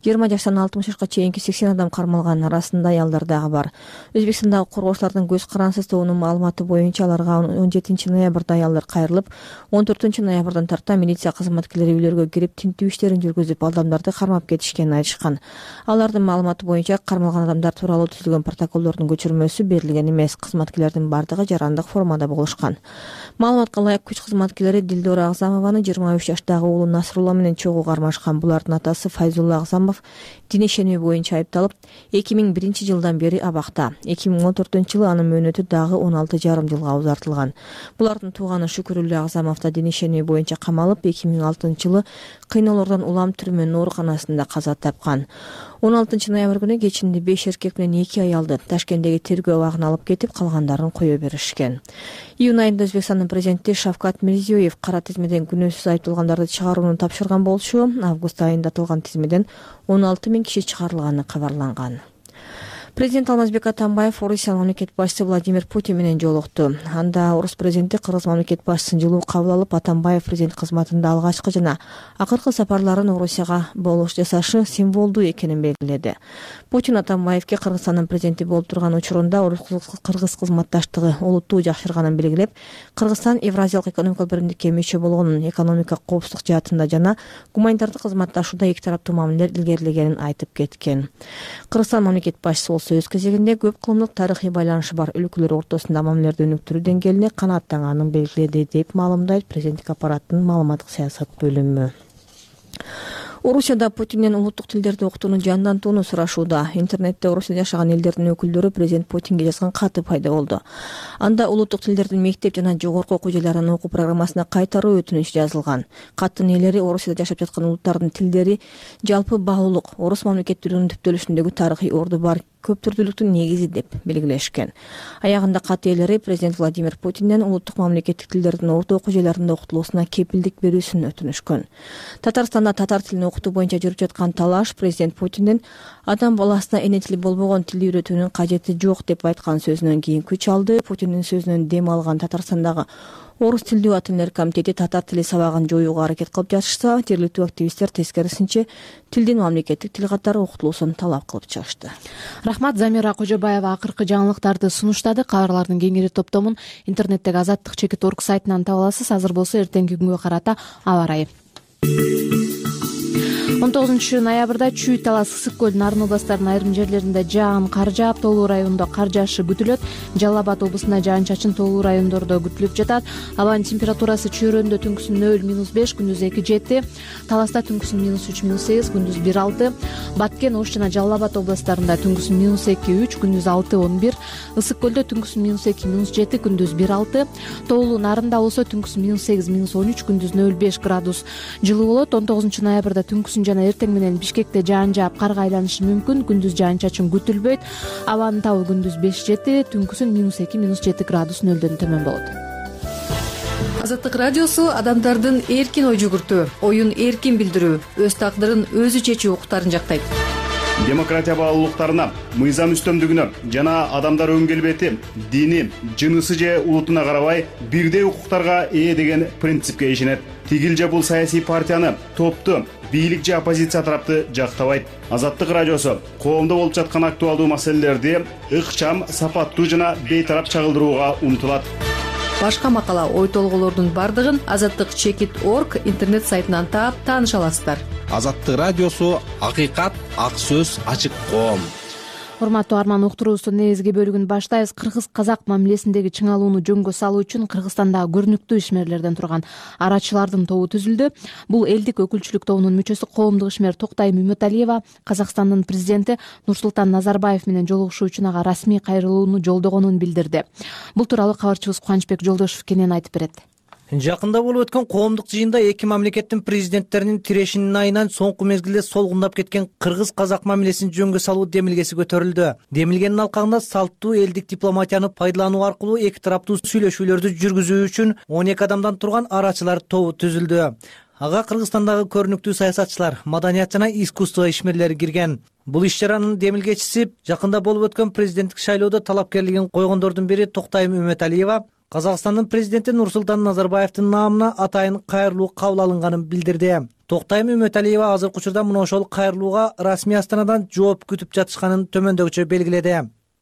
20 жаштан 60 жашка чейинки 80 адам кармалган, арасында аялдар дагы бар. Өзбекстандагы коргоочулардын көз карансыз тобунун маалыматы боюнча аларга 17 ноябрда аялдар кайрылып, 14 ноябрдан тарта милиция кызматкерлери үйлөргө кирип тинтүү иштерин жүргүзүп, адамдарды кармап кетишкенин айтышкан. Алардын маалыматы боюнча кармалган адамдар тууралуу түзүлгөн протоколдордун көчүрмөсү берилген эмес. Кызматкерлердин бардыгы жарандык формада болушкан. Маалыматка ылайык күч кызматкерлери Дилдора Агзамованын 23 жаштагы уулу Насрулла менен чогуу кармашкан. Булардын атасы Файзулла Агзамов дин ишенүү боюнча айыпталып, 2001 жылдан бери абакта. 2014 жылы анын мөөнөтү дагы 16,5 жылга узартылган. Булардын тууганы Шүкүрүллө Агзамов да дин ишенүү боюнча камалып, 2006 жылы кыйноолордон улам түрмөнүн ооруканасында каза тапкан. 16 ноябрь күнү кечинде 5 эркек менен 2 аялды Ташкенттеги тергөө абагына алып кетип, калгандарын кое беришкен. Июнь айында Өзбекстандын президенти Шавкат Мирзиёев кара тизмеден күнөөсүз айыпталгандарды чыгарууну тапшырган болчу. Август айында аталган тизмеден 16 000 киши чыгарылганы кабарланган. Президент Алмазбек Атамбаев Орусиянын мамлекет башчысы Владимир Путин менен жолукту. Анда орус президенти кыргыз мамлекет башчысын жылуу кабыл алып, Атамбаев президент кызматында алгачкы жана акыркы сапарларын Орусияга болуш жасашы символдуу экенин белгиледи. Путин Атамбаевке Кыргызстандын президенти болуп турган учурунда орус-кыргыз кызматташтыгы олуттуу жакшырганын белгилеп, Кыргызстан Евразиялык экономикалык биримдикке мүчө болгонун, экономика коопсуздук жаатында жана гуманитардык кызматташууда эки тараптуу мамилелер илгерилегенин айтып кеткен. Кыргызстан мамлекет башчысы өз кезегинде көп кылымдык тарыхый байланышы бар өлкөлөр ортосунда мамилелерди өнүктүрүү деңгээлине канааттанганын белгиледи, деп маалымдайт президенттик аппараттын маалыматтык саясат бөлүмү. Орусияда Путинден улуттук тилдерди окутууну жандантууну сурашууда. Интернетте орус элинде жашаган элдердин өкүлдөрү президент Путинге жазган каты пайда болду. Анда улуттук тилдердин мектеп жана жогорку окуу жайларынын окуу программасына кайтаруу өтүнүчү жазылган. Каттын ээлери Орусияда жашап жаткан улуттардын тилдери жалпы баалуулук, орус мамлекеттүүлүгүнүн түптөлүшүндөгү тарыхый орду бар көп түрдүүлүктүн негизи деп белгилешкен. Аягында кат ээлери президент Владимир Путинден улуттук мамлекеттик тилдердин орто окуу жайларында окутулуусуна кепилдик берүүсүн өтүнүшкөн. Татарстанда татар тилин окутуу боюнча жүрүп жаткан талаш президент Путинден адам баласына эне тили болбогон тилди үйрөтүүнүн кажети жок деп айткан сөзүнөн кийин күч алды. Путиндин сөзүнөн дем алган Татарстандагы Орус тилдүү ата-энелер комитети татар тили сабагын жоюуга аракет кылып жатышса, жергиликтүү активисттер тескерисинче тилдин мамлекеттик тил катары окутулуусун талап кылып чыгышты.
Рахмат. Замира Кожобаева акыркы жаңылыктарды сунуштады. Кабарлардын кеңири топтомун интернеттеги azattik.org сайтынан таба аласыз. Азыр болсо эртеңки күнгө карата аба ырайы. 19 ноябрда Чүй, Талас, Ысык көл, Нарын областарынын айрым жерлеринде жаан кар жаап, тоолуу райондо кар жаашы күтүлөт. Жалал Абад облусунда жаан-чачын тоолуу райондордо күтүлүп жатат. Абанын температурасы Чөйрөндө түнкүсүн 0-5, күндүз 2-7, Таласта түнкүсүн -3, -8, күндүз 1-6, Баткен, Ош жана Жалал Абад областарында түнкүсүн -2-3, күндүз 6-11, Ысык көлдө түнкүсүн -2, -7, күндүз 1-6, тоолуу Нарында болсо түнкүсүн -8, -13, күндүз 0-5 градус жылуу болот. 19 ноябрда түнкүсүн жана эртең менен Бишкекте жаан жаап, карга айланышы мүмкүн. Күндүз жаан-чачын күтүлбөйт. Абанын табы күндүз 5-7, түнкүсүн -2, -7 градус нөлдөн төмөн болот.
Азаттык радиосу адамдардын эркин ой жүгүртүү, оюн эркин билдирүү, өз тагдырын өзү чечүү укуктарын жактайт.
Демократия баалуулуктарына, мыйзам үстөмдүгүнө жана адамдар өн келбети, дини, жынысы же улутуна карабай бирдей укуктарга ээ деген принципке ишенет. Тигил же бул саясий партияны, топту, бийлик же оппозиция тарапты жактабайт. Азаттык радиосу коомдо болуп жаткан актуалдуу маселелерди ыкчам, сапаттуу жана бейтарап чагылдырууга умтулат.
Башка макала, ой толгоолордун бардыгын azattik.org интернет сайтынан таап тааныша аласыздар.
Азаттык радиосу акыйкат, ак сөз, ачык коом.
Урматтуу арман, уктуруубуздун негизги бөлүгүн баштайбыз. Кыргыз-казак мамилесиндеги чыңалууну жөнгө салуу үчүн Кыргызстандагы көрүнүктүү ишмерлерден турган арачылардын тобу түзүлдү. Бул элдик өкүлчүлүк тобунун мүчөсү коомдук ишмер Токтайым Үмөталиева Казакстандын президенти Нурсултан Назарбаев менен жолугушуу үчүн ага расмий кайрылууну жолдогонун билдирди. Бул тууралуу кабарчыбыз Кубанычбек Жолдошев кенен айтып берет.
Жакында болуп өткөн коомдук жыйында эки мамлекеттин президенттеринин тирешинин айынан соңку мезгилде солгундап кеткен кыргыз-казак мамилесин жөнгө салуу демилгеси көтөрүлдү. Демилгенин алкагында салттуу элдик дипломатияны пайдалануу аркылуу эки тараптуу сүйлөшүүлөрдү жүргүзүү үчүн 12 адамдан турган арачылар тобу түзүлдү. Ага Кыргызстандагы көрүнүктүү саясатчылар, маданият жана искусство ишмерлери кирген. Бул иш-чаранын демилгечиси жакында болуп өткөн президенттик шайлоодо талапкерлигин койгондордун бири Токтайым Үмөталиева Казакстандын президенти Нурсултан Назарбаевдин наамына атайын кайрылуу кабыл алынганын билдирди. Токтайым Үмөталиева азыркы учурда мына ошол кайрылууга расмий Астанадан жооп күтүп жатышканын төмөндөгүчө белгиледи.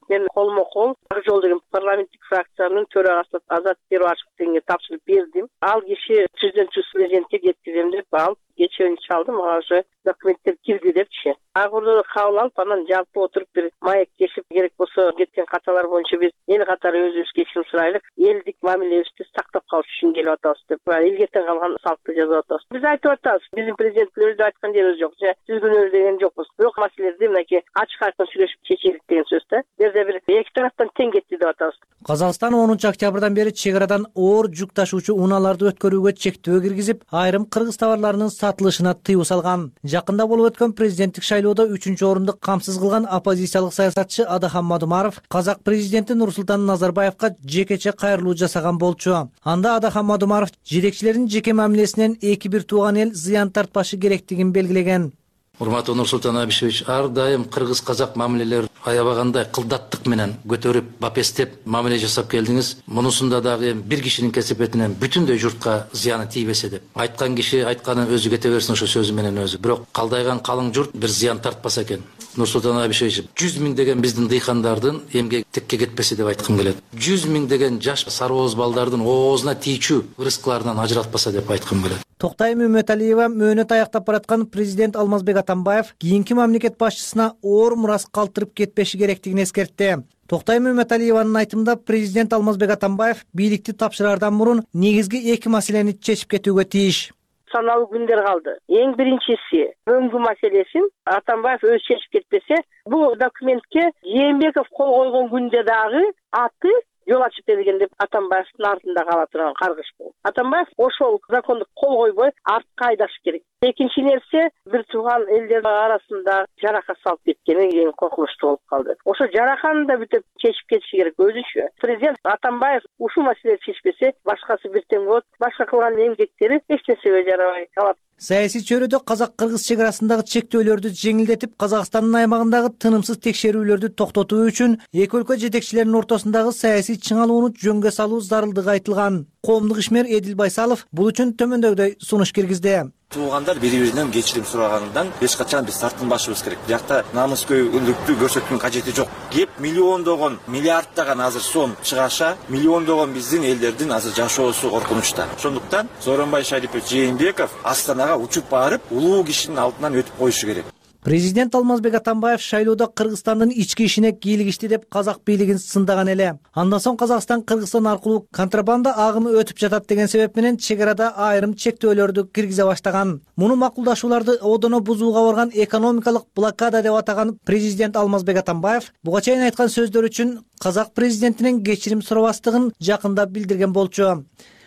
Мен колмо-кол Ак жол деген парламенттик фракциянын төрагасы Азат Перуашевге тапшырып бердим. Ал киши президентке жеткизем деп алып кечээ чалдым, ага уже документтер кирди депчи. Агырды кабыл алып, анан жалпы отуруп бир маек кесип, керек болсо кеткен каталар боюнча биз эл катары өзүбүз кечирим сурайлык, элдик мамилебизди сактап калыш үчүн келип атабыз деп, элгетен калган салтты жазып атабыз. Биз айтып атабыз, биздин президентибиз айткан жерибиз жок, түзгөнөбүз деген жокпуз. Бирок маселелерди мынакей ачык айкын сүйлөшүп чечелик деген сөз да. Бизде бир эки тараптан тең кетти деп атабыз.
Казакстан 10 октябрдан бери чек арадан оор жүк ташуучу унааларды өткөрүүгө чектөө киргизип, айрым кыргыз товарларынын сатылышына тыюу салган. Жакында болуп өткөн президенттик шайлоодо 3-орунду камсыз кылган оппозициялык саясатчы Адахан Мадумаров казак президенти Нурсултан Назарбаевка жекече кайрылуу жасаган болчу. Анда Адахан Мадумаров жетекчилердин жеке мамилесинен эки бир тууган эл зыян тартпашы керектигин белгилеген.
Урматтуу Нурсултан Абишевич, ар дайым кыргыз-казак мамилелер аябагандай кылдаттык менен көтөрүп, бапестеп мамиле жасап келдиңиз. Мунусунда дагы бир кишинин кесепетинен бүтүндөй журтка зыяны тийбесе деп. Айткан киши айтканын өзү кете берсин ошо сөзү менен өзү. Бирок калдайган калың журт бир зыян тартпаса экен. Нурсултан Абишевич, 100 миң деген биздин дыйкандардын эмгек текке кетпесе деп айткым келет. 100 миң деген жаш сарбоз балдардын оозуна тийчү ырыскыларынан ажыратпаса деп айткым келет.
Токтайым Үмөталиева мөөнөт аяктап бараткан президент Алмазбек Атамбаев кийинки мамлекет башчысына оор мурас калтырып кетпеши керектигин эскертти. Токтайым Үмөталиеванын айтымында президент Алмазбек Атамбаев бийликти тапшыраардан мурун негизги эки маселени чечип кетүүгө тийиш.
Саналуу күндөр калды. Эң биринчиси өңгү маселесин Атамбаев өзү чечип кетпесе, бул документке Жээнбеков кол койгон күндө дагы аты жол ачып берген деп Атамбаевдин артында кала турган каргыш бул. Атамбаев ошол законду кол койбой артка айдаш керек. Экинчи нерсе, бир тууган элдердин арасында жарака салып кеткени эң коркунучтуу болуп калды. Ошо жараканы да бүтүп чечип кетиши керек өзүнчө. Президент Атамбаев ушул маселени чечпесе, башкасы бир тең болот. Башка кылган эмгектери эч нерсеге жарабай калат.
Саясий чөйрөдө казак-кыргыз чек арасындагы чектөөлөрдү жеңилдетип, Казакстандын аймагындагы тынымсыз текшерүүлөрдү токтотуу үчүн эки өлкө жетекчилеринин ортосундагы саясий чыңалууну жөнгө салуу зарылдыгы айтылган. Коомдук ишмер Эдил Байсалов бул үчүн төмөндөгүдөй сунуш киргизди.
Туугандар бири-биринен кечирим сурагандан эч качан биз тартынбашыбыз керек. Биякта намыскөйлүктү көрсөтүүнүн кажети жок. Кеп миллиондогон, миллиарддаган азыр сом чыгаша, миллиондогон биздин элдердин азыр жашоосу коркунучта. Ошондуктан Сооронбай Шарипович Жээнбеков Астанага учуп барып, улуу кишинин алдынан өтүп коюшу керек.
Президент Алмазбек Атамбаев шайлоодо Кыргызстандын ички ишине кийлигишти деп казак бийлигин сындаган эле. Андан соң Казакстан Кыргызстан аркылуу контрабанда агымы өтүп жатат деген себеп менен чек арада айрым чектөөлөрдү киргизе баштаган. Муну макулдашууларды одоно бузууга барган экономикалык блокада деп атаган президент Алмазбек Атамбаев буга чейин айткан сөздөр үчүн казак президентинен кечирим сурабастыгын жакында билдирген болчу.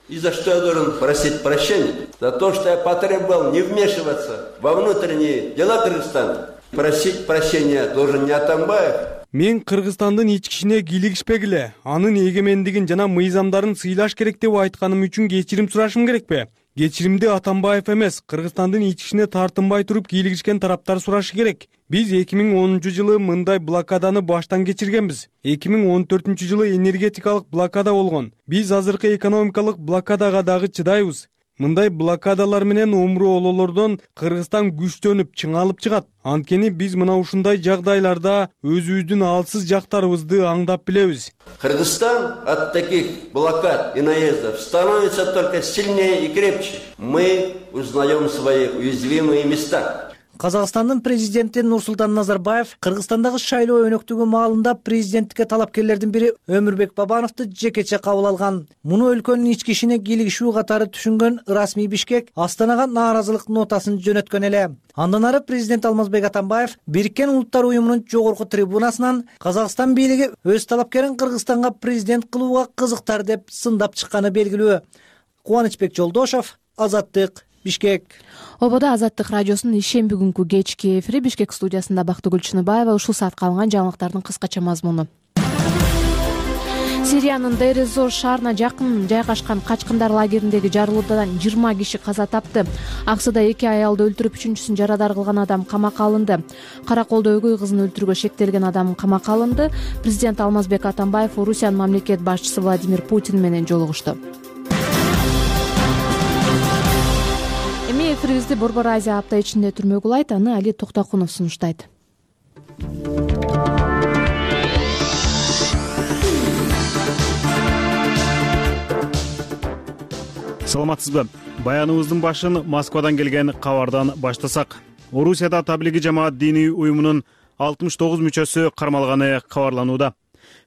И за что я должен просить прощения? За то, что я потребовал не вмешиваться во внутренние дела Кыргызстана. Просить прощения должен не Атамбаев.
Мен Кыргызстандын ички ишине кийлигишпегиле, анын эгемендигин жана мыйзамдарын сыйлаш керек деп айтканым үчүн кечирим сурашым керекпи? Кечиримди Атамбаев эмес, Кыргызстандын ички ишине тартынбай туруп кийлигишкен тараптар сурашы керек. Биз 2010-жылы мындай блокаданы баштан кечиргенбиз. 2014-жылы энергетикалык блокада болгон. Биз азыркы экономикалык блокадага дагы чыдайбыз. Мындай блокадалар менен умру ололордон Кыргызстан күчтөнүп, чыңалып чыгат. Анткени биз мына ушундай жагдайларда өзүбүздүн алсыз жактарыбызды аңдап билебиз.
Кыргызстан от таких блокад и наездов становится только сильнее и крепче. Мы узнаем свои уязвимые места.
Казакстандын президенти Нурсултан Назарбаев Кыргызстандагы шайлоо өнөктүгү маалында президенттикке талапкерлердин бири Өмүрбек Бабановду жекече кабыл алган. Муну өлкөнүн ички ишине кийлигишүү катары түшүнгөн расмий Бишкек Астанага нааразылык нотасын жөнөткөн эле. Андан ары президент Алмазбек Атамбаев Бириккен Улуттар уюмунун жогорку трибунасынан Казакстан бийлиги өз талапкерин Кыргызстанга президент кылууга кызыктар деп сындап чыкканы белгилүү. Кубанычбек Жолдошов, Азаттык, Бишкек.
Ободо Азаттык радиосунун ишемби күнкү кечки эфири. Бишкек студиясында Бактыгүл Чыныбаева. Ушул саатка алынган жаңылыктардын кыскача мазмуну. Сириянын Дейр эз-Зор шаарына жакын жайгашкан качкындар лагериндеги жарылуудан 20 киши каза тапты. Аксыда 2 аялды өлтүрүп, 3-үчүсүн жарадар кылган адам камакка алынды. Караколдо өгөй кызын өлтүрүүгө шектелген адам камакка алынды. Президент Алмазбек Атамбаев Орусиянын мамлекет башчысы Владимир Путин менен жолугушту. Эми эфирибизди Борбор Азия апта ичинде түрмөк улайт, аны Али Токтокунов сунуштайт.
Саламатсызбы? Баяныбыздын башын Москвадан келген кабардан баштасак. Орусияда таблиги жамаат диний уюмунун 69 мүчөсү кармалганы кабарланууда.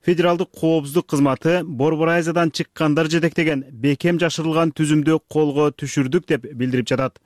Федералдык коопсуздук кызматы Борбор Азиядан чыккандар жетектеген бекем жашырылган түзүмдү колго түшүрдүк деп билдирип жатат.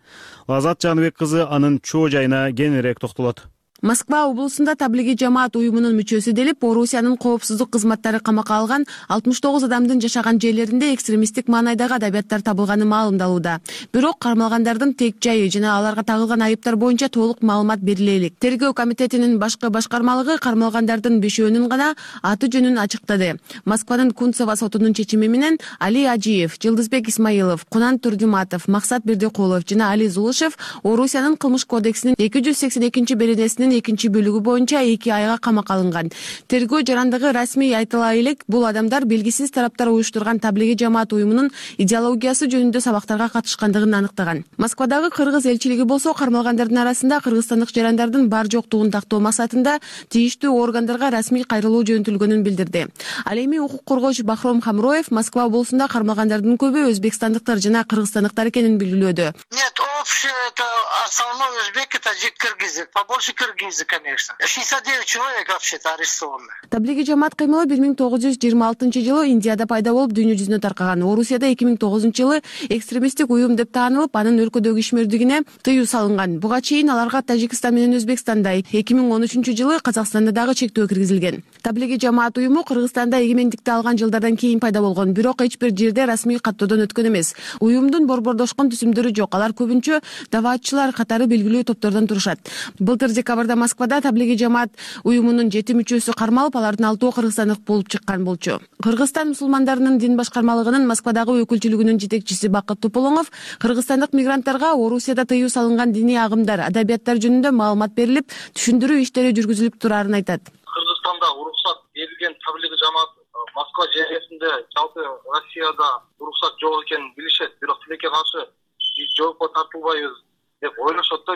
Азат Жаныбек кызы анын чоо жайына кеңирээк токтолот.
Москва облусунда таблиги жамаат уюмунун мүчөсү делип, Орусиянын коопсуздук кызматтары камакка алган 69 адамдын жашаган жерлеринде экстремисттик маанайдагы адабияттар табылганы маалымдалууда. Бирок кармалгандардын тек жайы жана аларга тагылган айыптар боюнча толук маалымат бериле элек. Тергөө комитетинин башкы башкармалыгы кармалгандардын 5-өөнүн гана аты жөнүн ачыктады. Москванын Кунцево сотунун чечими менен Али Ажиев, Жылдызбек Исмаилов, Кунан Турдиматов, Максат Бердикулов жана Али Зулышев Орусиянын кылмыш кодексинин 282-беренесинин 2-бөлүгү боюнча 2 айга камакка алынган. Тергөө жарандыгы расмий айтыла элек, бул адамдар белгисиз тараптар уюштурган таблиги жамаат уюмунун идеологиясы жөнүндө сабактарга катышкандыгын аныктаган. Москвадагы кыргыз элчилиги болсо кармалгандардын арасында кыргызстандык жарандардын бар жоктугун тактоо максатында тийиштүү органдарга расмий кайрылуу жөнөтүлгөнүн билдирди. Ал эми укук коргоочу Бахром Хамроев Москва облусунда кармалгандардын көбү өзбекстандыктар жана кыргызстандыктар экенин белгилөөдө.
Нет, общее это основной узбек, это киргизы, побольше киргизы, конечно. 69 человек вообще-то арестованы.
Таблиги жамаат кыймылы 1926-жылы Индияда пайда болуп, дүйнө жүзүнө таркаган. Орусияда 2009-жылы экстремисттик уюм деп таанылып, анын өлкөдөгү ишмердигине тыюу салынган. Буга чейин аларга Тажикстан менен Өзбекстанда, 2013-жылы Казакстанда дагы чектөө киргизилген. Таблиги жамаат уюму Кыргызстанда эгемендикти алган жылдардан кийин пайда болгон, бирок эч бир жерде расмий каттоодон өткөн эмес. Уюмдун борбордошкон түзүмдөрү жок. Алар көбүнчө даваатчылар катары белгилүү топтордон турушат. Былтыр декабрда Москвада таблиги жамаат уюмунун 7 мүчөсү кармалып, алардын 6-ы кыргызстандык болуп чыккан болчу. Кыргызстан мусулмандарынын дин башкармалыгынын Москвадагы өкүлчүлүгүнүн жетекчиси Бакыт Туполоңов кыргызстандык мигранттарга Орусияда тыюу салынган диний агымдар, адабияттар жөнүндө маалымат берилип, түшүндүрүү иштери жүргүзүлүп турарын айтат.
Кыргызстанда уруксат берилген таблиги жамаат Москва жергесинде, жалпы Россияда уруксат жок экенин билишет, бирок тилекке каршы биз жоопко тартылбайбыз деп ойлошот да.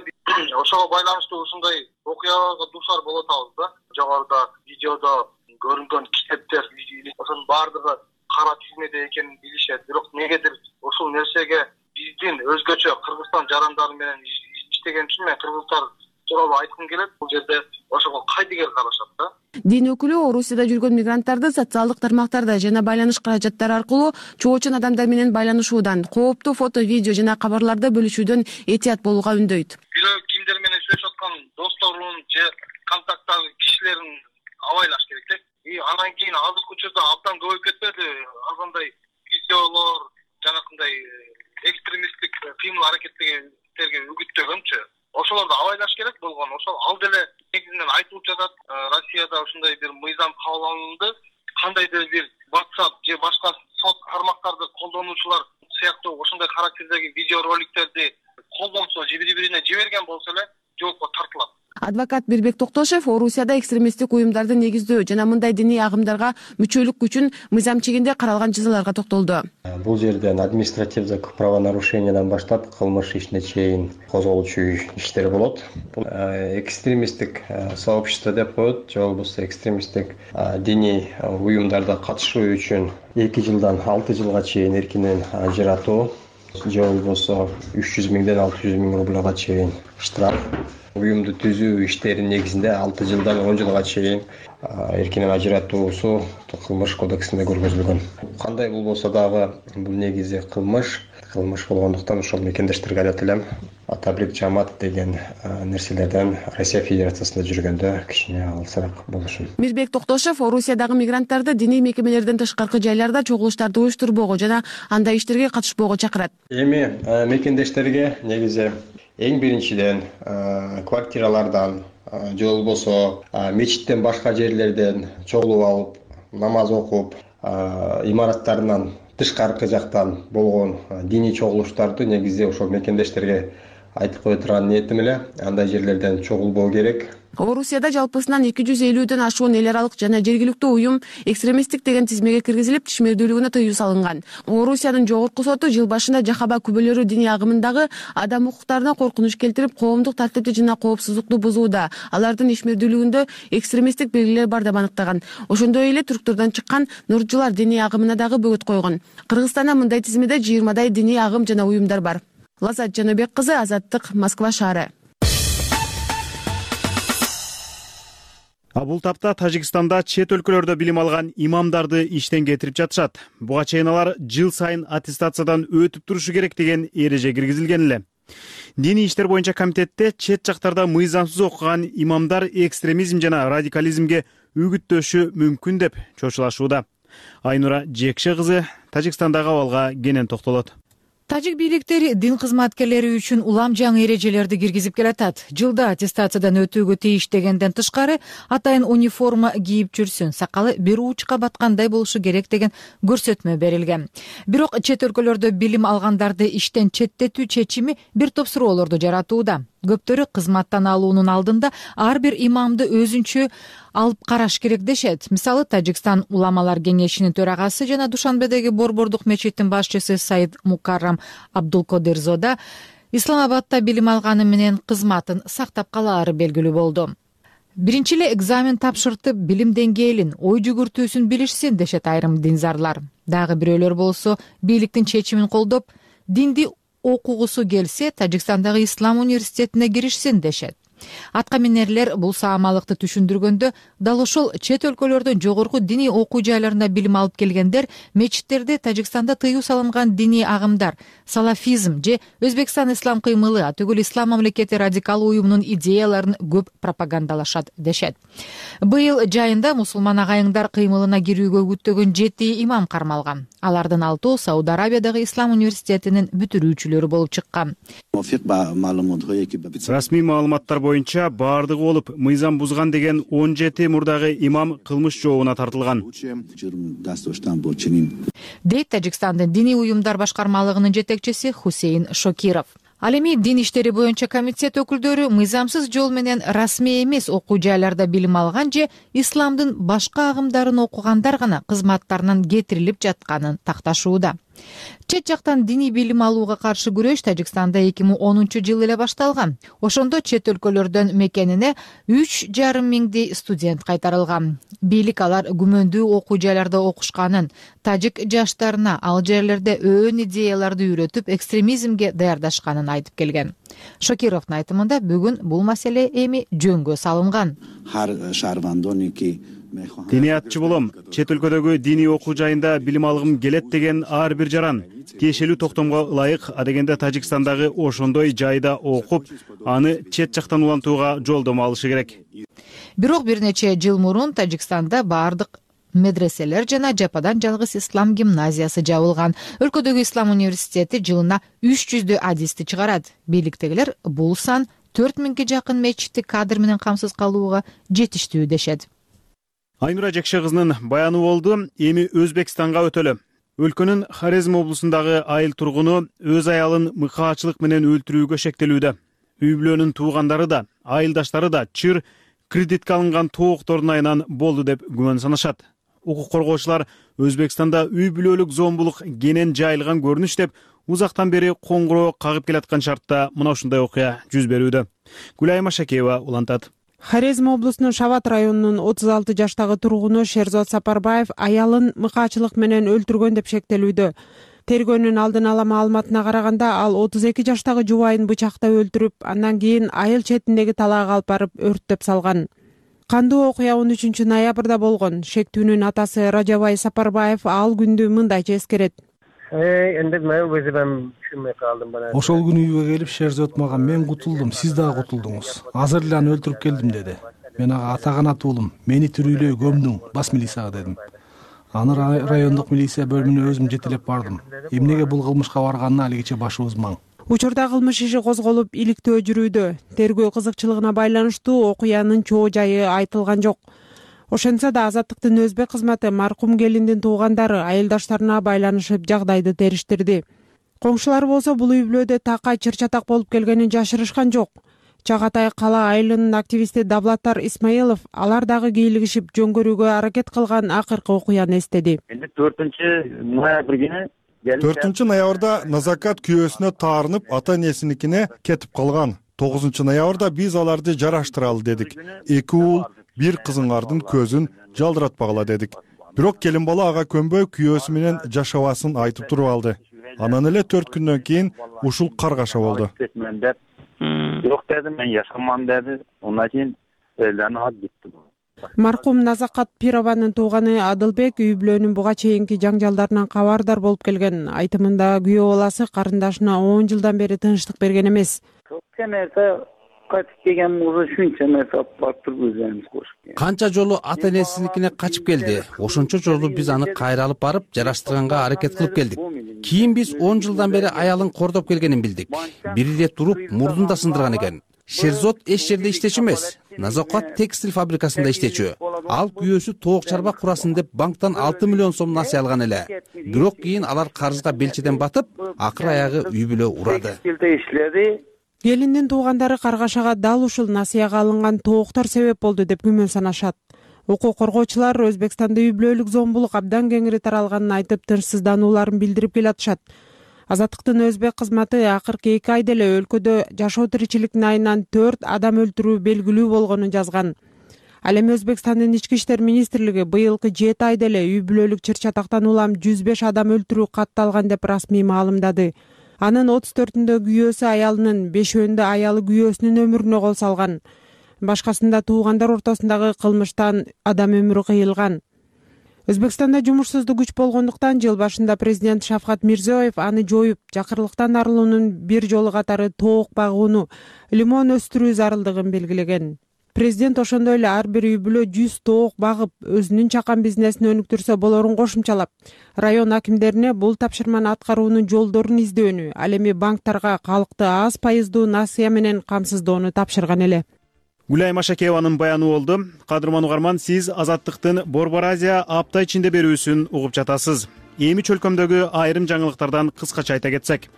Ошого байланыштуу ушундай окуяга дуушар болот атабыз да. Жогоруда видеодо көрүнгөн китептер, ошонун баардыгы кара тизмеде экенин билишет. Бирок негедир ушул нерсеге биздин өзгөчө Кыргызстан жарандары менен иштеген үчүн мен кыргыздар тууралуу айткым келет. Бул жерде ошого кайдыгер карашат да.
Дин өкүлү Орусияда жүргөн мигранттарды социалдык тармактарда жана байланыш каражаттары аркылуу чоочун адамдар менен байланышуудан, кооптуу фото, видео жана кабарларды бөлүшүүдөн этият болууга үндөйт.
Кимдер менен сүйлөшүп аткан досторун же контакттагы кишилерин абайлаш керек да. Анан кийин азыркы учурда абдан көбөйүп кетпеди андай видеолор, жанакындай экстремисттик кыймыл аракеттерге үгүттөгөнчү. Ошолорду абайлаш керек болгон. Ошол ал деле негизинен айтылып жатат. Россияда ушундай бир мыйзам кабыл алынды. Кандайдыр бир WhatsApp же башка сот тармактарды колдонуучулар сыяктуу ошондой характердеги видео роликтерди колдонсо же бири-бирине жиберген болсо эле жоопко тартылат.
Адвокат Бирбек Токтошев Орусияда экстремисттик уюмдарды негиздөө жана мындай диний агымдарга мүчөлүк үчүн мыйзам чегинде каралган жазаларга токтолду.
Бул жерден административдик правонарушениядан баштап кылмыш ишине чейин козголчу иштер болот. Бул экстремисттик сообщество деп коет, же болбосо экстремисттик диний уюмдарда катышуу үчүн 2 жылдан 6 жылга чейин эркинен ажыратуу, же болбосо 300 миңден 600 миң рубльга чейин штраф. Уюмду түзүү иштеринин негизинде 6 жылдан 10 жылга чейин эркинен ажыратуусу кылмыш кодексинде көргөзүлгөн. Кандай болбосо дагы бул негизи кылмыш болгондуктан ошол мекендештерге айтат элем, таблик жамаат деген нерселерден Россия Федерациясында жүргөндө кичине алысыраак болушун.
Мирбек Токтошев Орусиядагы мигранттарды диний мекемелерден тышкаркы жайларда чогулуштарды уюштурбоого жана андай иштерге катышпоого чакырат.
Эми мекендештерге негизи эң биринчиден квартиралардан же болбосо мечиттен башка жерлерден чогулуп алып, намаз окуп, имараттарынан тышкаркы жактан болгон диний чогулуштарды негизи ошол мекендештерге айтып кое турган ниетим эле. Андай жерлерден чогулбоо керек.
Орусияда жалпысынан 250ден ашуун эл аралык жана жергиликтүү уюм экстремисттик деген тизмеге киргизилип, тишмердүүлүгүнө тыюу салынган. Орусиянын жогорку соту жыл башында Жахаба күбөлөрү диний агымындагы адам укуктарына коркунуч келтирип, коомдук тартипти жана коопсуздукту бузууда, алардын ишмердүүлүгүндө экстремисттик белгилер бар деп аныктаган. Ошондой эле түрктөрдөн чыккан нурчулар диний агымына дагы бөгөт койгон. Кыргызстанда мындай тизмеде 20дай диний агым жана уюмдар бар. Лазат Жаныбек кызы, Азаттык, Москва шаары.
Бул тапта Тажикстанда чет өлкөлөрдө билим алган имамдарды иштен кетирип жатышат. Буга чейин алар жыл сайын аттестациядан өтүп турушу керек деген эреже киргизилген эле. Диний иштер боюнча комитетте чет жактарда мыйзамсыз окуган имамдар экстремизм жана радикализмге үгүттөшү мүмкүн деп чочулашууда. Айнура Жекше кызы Тажикстандагы абалга кенен токтолот.
Тажик бийликтери дин кызматкерлери үчүн улам жаңы эрежелерди киргизип келатат. Жылда аттестациядан өтүүгө тийиш дегенден тышкары атайын униформа кийип жүрсүн, сакалы бир уучка баткандай болушу керек деген көрсөтмө берилген. Бирок чет өлкөлөрдө билим алгандарды иштен четтетүү чечими бир топ суроолорду жаратууда. Көптөрү кызматтан алуунун алдында ар бир имамды өзүнчө алып караш керек дешет. Мисалы, Тажикстан уламалар кеңешинин төрагасы жана Душанбедеги Борбордук мечиттин башчысы Саид Мукаррам Абдулкодирзода Исламабадта билим алганы менен кызматын сактап калаары белгилүү болду. Биринчи эле экзамен тапшыртып, билим деңгээлин, ой жүгүртүүсүн билишсин дешет айрым динзарлар. Дагы бирөөлөр болсо бийликтин чечимин колдоп, динди окугусу келсе, Тажикстандагы Ислам университетине киришсин дешет. Аткаминерлер бул саамалыкты түшүндүргөндө, дал ошол чет өлкөлөрдөн жогорку диний окуу жайларында билим алып келгендер мечиттерде Тажикстанда тыюу салынган диний агымдар, салафизм же Өзбекстан ислам кыймылы, түгүл ислам мамлекети радикал уюмунун идеяларын көп пропагандалашат дешет. Быйыл жайында мусулман агайыңдар кыймылына кирүүгө үгүттөгөн 7 имам кармалган. Алардын 6 Сауд Арабиядагы Ислам университетинин бүтүрүүчүлөрү болуп чыккан.
Расмий маалыматтар боюнча баардыгы болуп мыйзам бузган деген 17 мурдагы имам кылмыш жообуна тартылган.
Дейт Тажикстандын диний уюмдар башкармалыгынын жетекчиси Хусейн Шокиров. Ал эми дин иштери боюнча комитет өкүлдөрү мыйзамсыз жол менен расмий эмес окуу жайларда билим алган же исламдын башка агымдарын окугандар гана кызматтарынан кетирилип жатканын такташууда. Чет жактан диний билим алууга каршы күрөш Тажикстанда 2010 эле башталган. Ошондо чет өлкөлөрдөн мекенине 3,5 миңдей студент кайтарылган. Бийлик алар күмөндүү окуу жайларда окушканын, тажик жаштарына ал жерлерде өөн идеяларды үйрөтүп, экстремизмге даярдашканын айтып келген. Шокировдун айтымында бүгүн бул маселе эми жөнгө салынган.
Диниятчы болом, чет өлкөдөгү диний окуу жайында билим алгым келет деген ар бир жаран тиешелүү токтомго ылайык, адегенде Тажикстандагы ошондой жайда окуп, аны чет жактан улантууга жолдомо алышы керек.
Бирок бир нече жыл мурун Тажикстанда баардык медреселер жана жападан жалгыз ислам гимназиясы жабылган. Өлкөдөгү Ислам университети жылына 300 адисти чыгарат. Бийликтегилер бул сан 4000ге жакын мечитти кадр менен камсыз калууга жетиштүү дешет.
Айнура Жекше кызынын баяны болду. Эми Өзбекстанга өтөлү. Өлкөнүн Хорезм облусундагы айыл тургуну өз аялын мыкаачылык менен өлтүрүүгө шектелүүдө. Үй бүлөнүн туугандары да, айылдаштары да чыр кредитке алынган тооктордун айынан болду деп күмөн санашат. Укук коргоочулар Өзбекстанда үй бүлөлүк зомбулук кенен жайылган көрүнүш деп узактан бери коңгуроо кагып келаткан шартта мына ушундай окуя жүз берүүдө. Гүлайым Ашакеева улантат.
Хорезм облусунун Шават районунун 36 жаштагы тургуну Шерзот Сапарбаев аялын мыкаачылык менен өлтүргөн деп шектелүүдө. Тергөөнүн алдын ала маалыматына караганда, ал 32 жаштагы жубайын бычактап өлтүрүп, андан кийин айыл четиндеги талаага алып барып өрттөп салган. Кандуу окуя 13 ноябрда болгон. Шектүүнүн атасы Ражабай Сапарбаев ал күндү мындайча эскерет.
Эndi мен өзүм түшүнбөй калдым бана.
Ошол күнү үйгө келип Шерзот мага "Мен кутулдум, сиз дагы кутулдуңуз. Азыр эле аны өлтүрүп келдим" деди. Мен ага "Атаганат уулум, мени тирүүлөй көмдүң, бас милицияга" дедим. Аны райондук милиция бөлүмүнө өзүм жетелеп бардым. Эмнеге бул кылмышка барганына алигиче башыбыз маң.
Учурда кылмыш иши козголуп, иликтөө жүрүүдө. Тергөө кызыкчылыгына байланыштуу окуянын чоо жайы айтылган жок. Ошентсе да Азаттыктын өзбек кызматы маркум келиндин туугандары айылдаштарына байланышып жагдайды териштирди. Коңшулар болсо бул үй бүлөдө такай чыр-чатак болуп келгенин жашырышкан жок. Чагатай кала айылынын активисти Давлаттар Исмаилов алар дагы кийлигишип жөн көрүүгө аракет кылган акыркы окуяны эстеди.
4 ноябрда Назакат күйөөсүнө таарынып ата энесиникине кетип калган. 9 ноябрда биз аларды жараштыралы дедик. 2 уул, 1 кызыңардын көзүн жалдыратпагыла дедик. Бирок келин бала ага көнбөй күйөөсү менен жашабасын айтып туруп алды. Анан эле 4 күндөн кийин ушул каргаша болду.
Yok dedim, ben yaşamam dedi. Ondan keyin ellerini alıp gitti.
Маркум Назакат Пированын тууганы Адылбек үй бүлөнүн буга чейинки жаңжалдарынан кабардар болуп келген. Айтымында күйөө баласы карындашына 10 жылдан бери тынчтык берген эмес.
Канча жолу ата энесиникине качып келди. Ошончо жолу биз аны кайра алып барып жараштырганга аракет кылып келдик. Кийин биз 10 жылдан бери аялын кордоп келгенин билдик. Бир эле туруп мурдун да сындырган экен. Шерзот эч жерде иштечү эмес. Назакат текстиль фабрикасында иштечү. Ал күйөөсү тоок чарба курасын деп банктан 6 миллион сом насыя алган эле. Бирок кийин алар карызга белчеден батып, акыры аягы үй бүлө урады.
Келиндин туугандары каргашага дал ушул насыяга алынган тооктор себеп болду деп күмөн санашат. Укук коргоочулар Өзбекстанда үй бүлөлүк зомбулук абдан кеңири таралганын айтып, тынчсызданууларын билдирип келатышат. Азаттыктын өзбек кызматы акыркы 2 айда эле өлкөдө жашоо тиричиликтин айынан 4 адам өлтүрүү белгилүү болгонун жазган. Ал эми Өзбекстандын ички иштер министрлиги быйылкы 7 айда эле үй бүлөлүк чыр-чатактан улам 105 адам өлтүрүү катталган деп расмий маалымдады. Анын 34-үндө күйөөсү аялынын, 5-өндө аялы күйөөсүнүн өмүрүнө кол салган. Башкасында туугандар ортосундагы кылмыштан адам өмүрү кыйылган. Өзбекстанда жумушсуздук күч болгондуктан жыл башында президент Шавкат Мирзиёев аны жоюп, жакырлыктан арылуунун бир жолу катары тоок багууну, лимон өстүрүү зарылдыгын белгилеген. Президент ошондой эле ар бир үй бүлө 100 тоок багып, өзүнүн чакан бизнесин өнүктүрсө болорун кошумчалап, район акимдерине бул тапшырманы аткаруунун жолдорун издөөнү, ал эми банктарга калкты аз пайыздуу насыя менен камсыздоону тапшырган эле.
Гүлай Машакееванын баяны болду. Кадырман угарман, сиз Азаттыктын Борбор Азия апта ичинде берүүсүн угуп жатасыз. Эми чөлкөмдөгү айрым жаңылыктардан кыскача айта кетсек.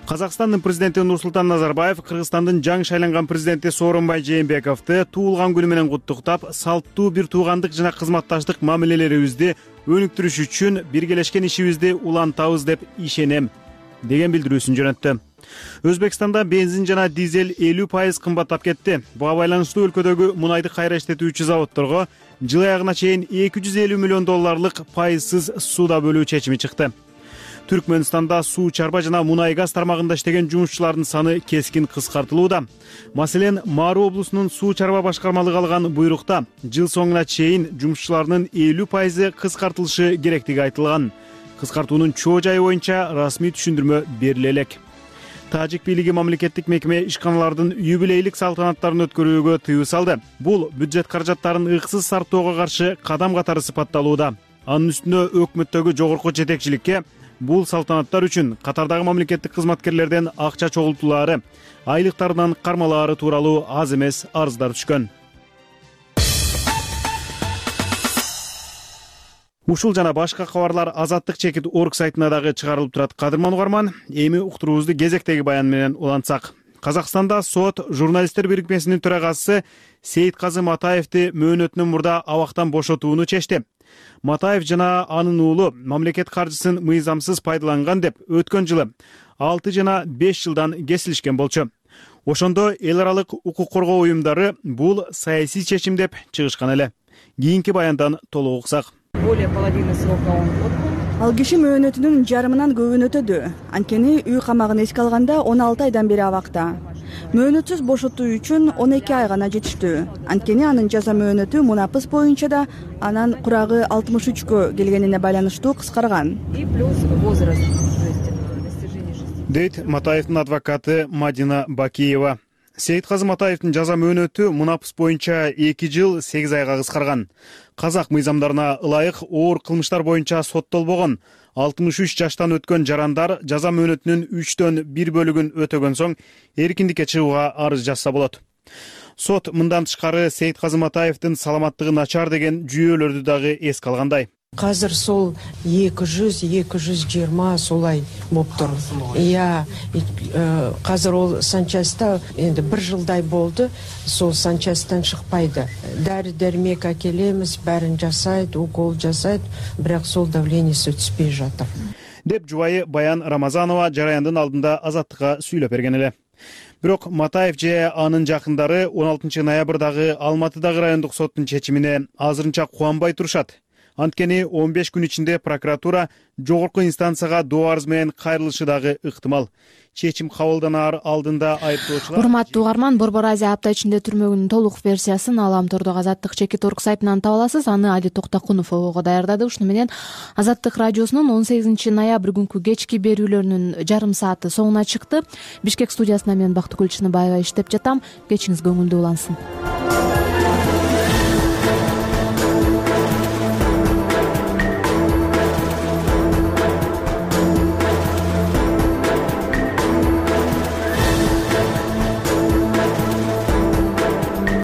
Казакстандын президенти Нурсултан Назарбаев Кыргызстандын жаңы шайланган президенти Сооронбай Жээнбековду туулган күнү менен куттуктап, салттуу бир туугандык жана кызматташтык мамилелерибизди өнүктүрүш үчүн биргелешкен ишибизди улантабыз деп ишенем деген билдирүүсүн жөнөттү. Өзбекстанда бензин жана дизель 50% кымбаттап кетти. Буга байланыштуу өлкөдөгү мунайды кайра иштетүүчү заводдорго жыл аягына чейин 250 миллион долларлык пайызсыз сууда бөлүү чечими чыкты. Түркмөнстанда суу чарба жана мунай газ тармагында иштеген жумушчулардын саны кескин кыскартылууда. Маселен, Мару облусунун суу чарба башкармалыгы алган буйрукта жыл соңуна чейин жумушчулардын 50% кыскартылышы керектиги айтылган. Кыскартуунун чоо жайы боюнча расмий түшүндүрмө бериле элек. Тажик бийлиги мамлекеттик мекеме ишканалардын юбилейлик салтанаттарын өткөрүүгө тыюу салды. Бул бюджет каражаттарын ыксыз сарптоого каршы кадам катары сыпатталууда. Анын үстүнө өкмөттөгү жогорку жетекчиликке бул салтанаттар үчүн катардагы мамлекеттик кызматкерлерден акча чогултуулары, айлыктарынан кармалаары тууралуу аз эмес арыздар түшкөн. Ушул жана башка кабарлар Азаттык чекит орг сайтына дагы чыгарылып турат. Кадырман угарман, эми уктуруубузду кезектеги баян менен улантсак. Казакстанда сот журналисттер бирикмесинин төрагасы Сейитказы Матаевди мөөнөтүнөн мурда абактан бошотууну чечти. Матаев жана анын уулу мамлекет каржысын мыйзамсыз пайдаланган деп өткөн жылы 6 жана 5 жылдан кесилишкен болчу. Ошондо эл аралык укук коргоо уюмдары бул саясий чечим деп чыгышкан эле. Кийинки баяндан толук уксак.
Более половины срока он отбыл. Ал киши мөөнөтүнүн жарымынан көбүн өтөдү. Анткени үй камагын эске алганда 16 айдан бери абакта. Мөөнөтсүз бошотуу үчүн 12 ай гана жетиштүү. Анткени анын жаза мөөнөтү мунапыс боюнча да анан курагы 63кө келгенине байланыштуу кыскарган. И плюс возраст.
Дейт Матаевдин адвокаты Мадина Бакиева. Сейитказы Матаевдин жаза мөөнөтү мунапыс боюнча 2 жыл 8 айга кыскарган. Казак мыйзамдарына ылайык оор кылмыштар боюнча соттолбогон 63 жаштан өткөн жарандар жаза мөөнөтүнүн 3/1 бөлүгүн өтөгөн соң эркиндикке чыгууга арыз жазса болот. Сот мындан тышкары Сейитказы Матаевдин саламаттыгы начар деген жүйөлөрдү дагы эске алгандай.
Азыр сол 200-220 солай болуптур. Азыр ол санчаста энди 1 жылдай болду, сол санчастан шыкпайды. Дары дермек акелебиз, бәрин жасайт, укол жасайт, бирок сол давлениеси түспөй жатыр.
Деп жубайы Баян Рамазанова жараяндын алдында Азаттыкка сүйлөп берген эле. Бирок Матаев же анын жакындары 16 ноябрдагы Алматыдагы райондук соттун чечимине азырынча кубанбай турушат. Анткени 15 күн ичинде прокуратура жогорку инстанцияга доо арыз менен кайрылышы дагы ыктымал. Чечим кабылданаар алдында айыптоочулар.
Урматтуу угарман, Борбор Азия апта ичинде түрмөгүнүн толук версиясын Аламтордогу Азаттык Чекит.org сайтынан таба аласыз. Аны Али Токтокунов ого даярдады. Ушуну менен Азаттык радиосунун 18 ноябрь күнкү кечки берүүлөрүнүн жарым сааты соңуна чыкты. Бишкек студиясында мен Бактыгүл Чыныбаева иштеп жатам. Кечиңиз көңүлдүү улансын.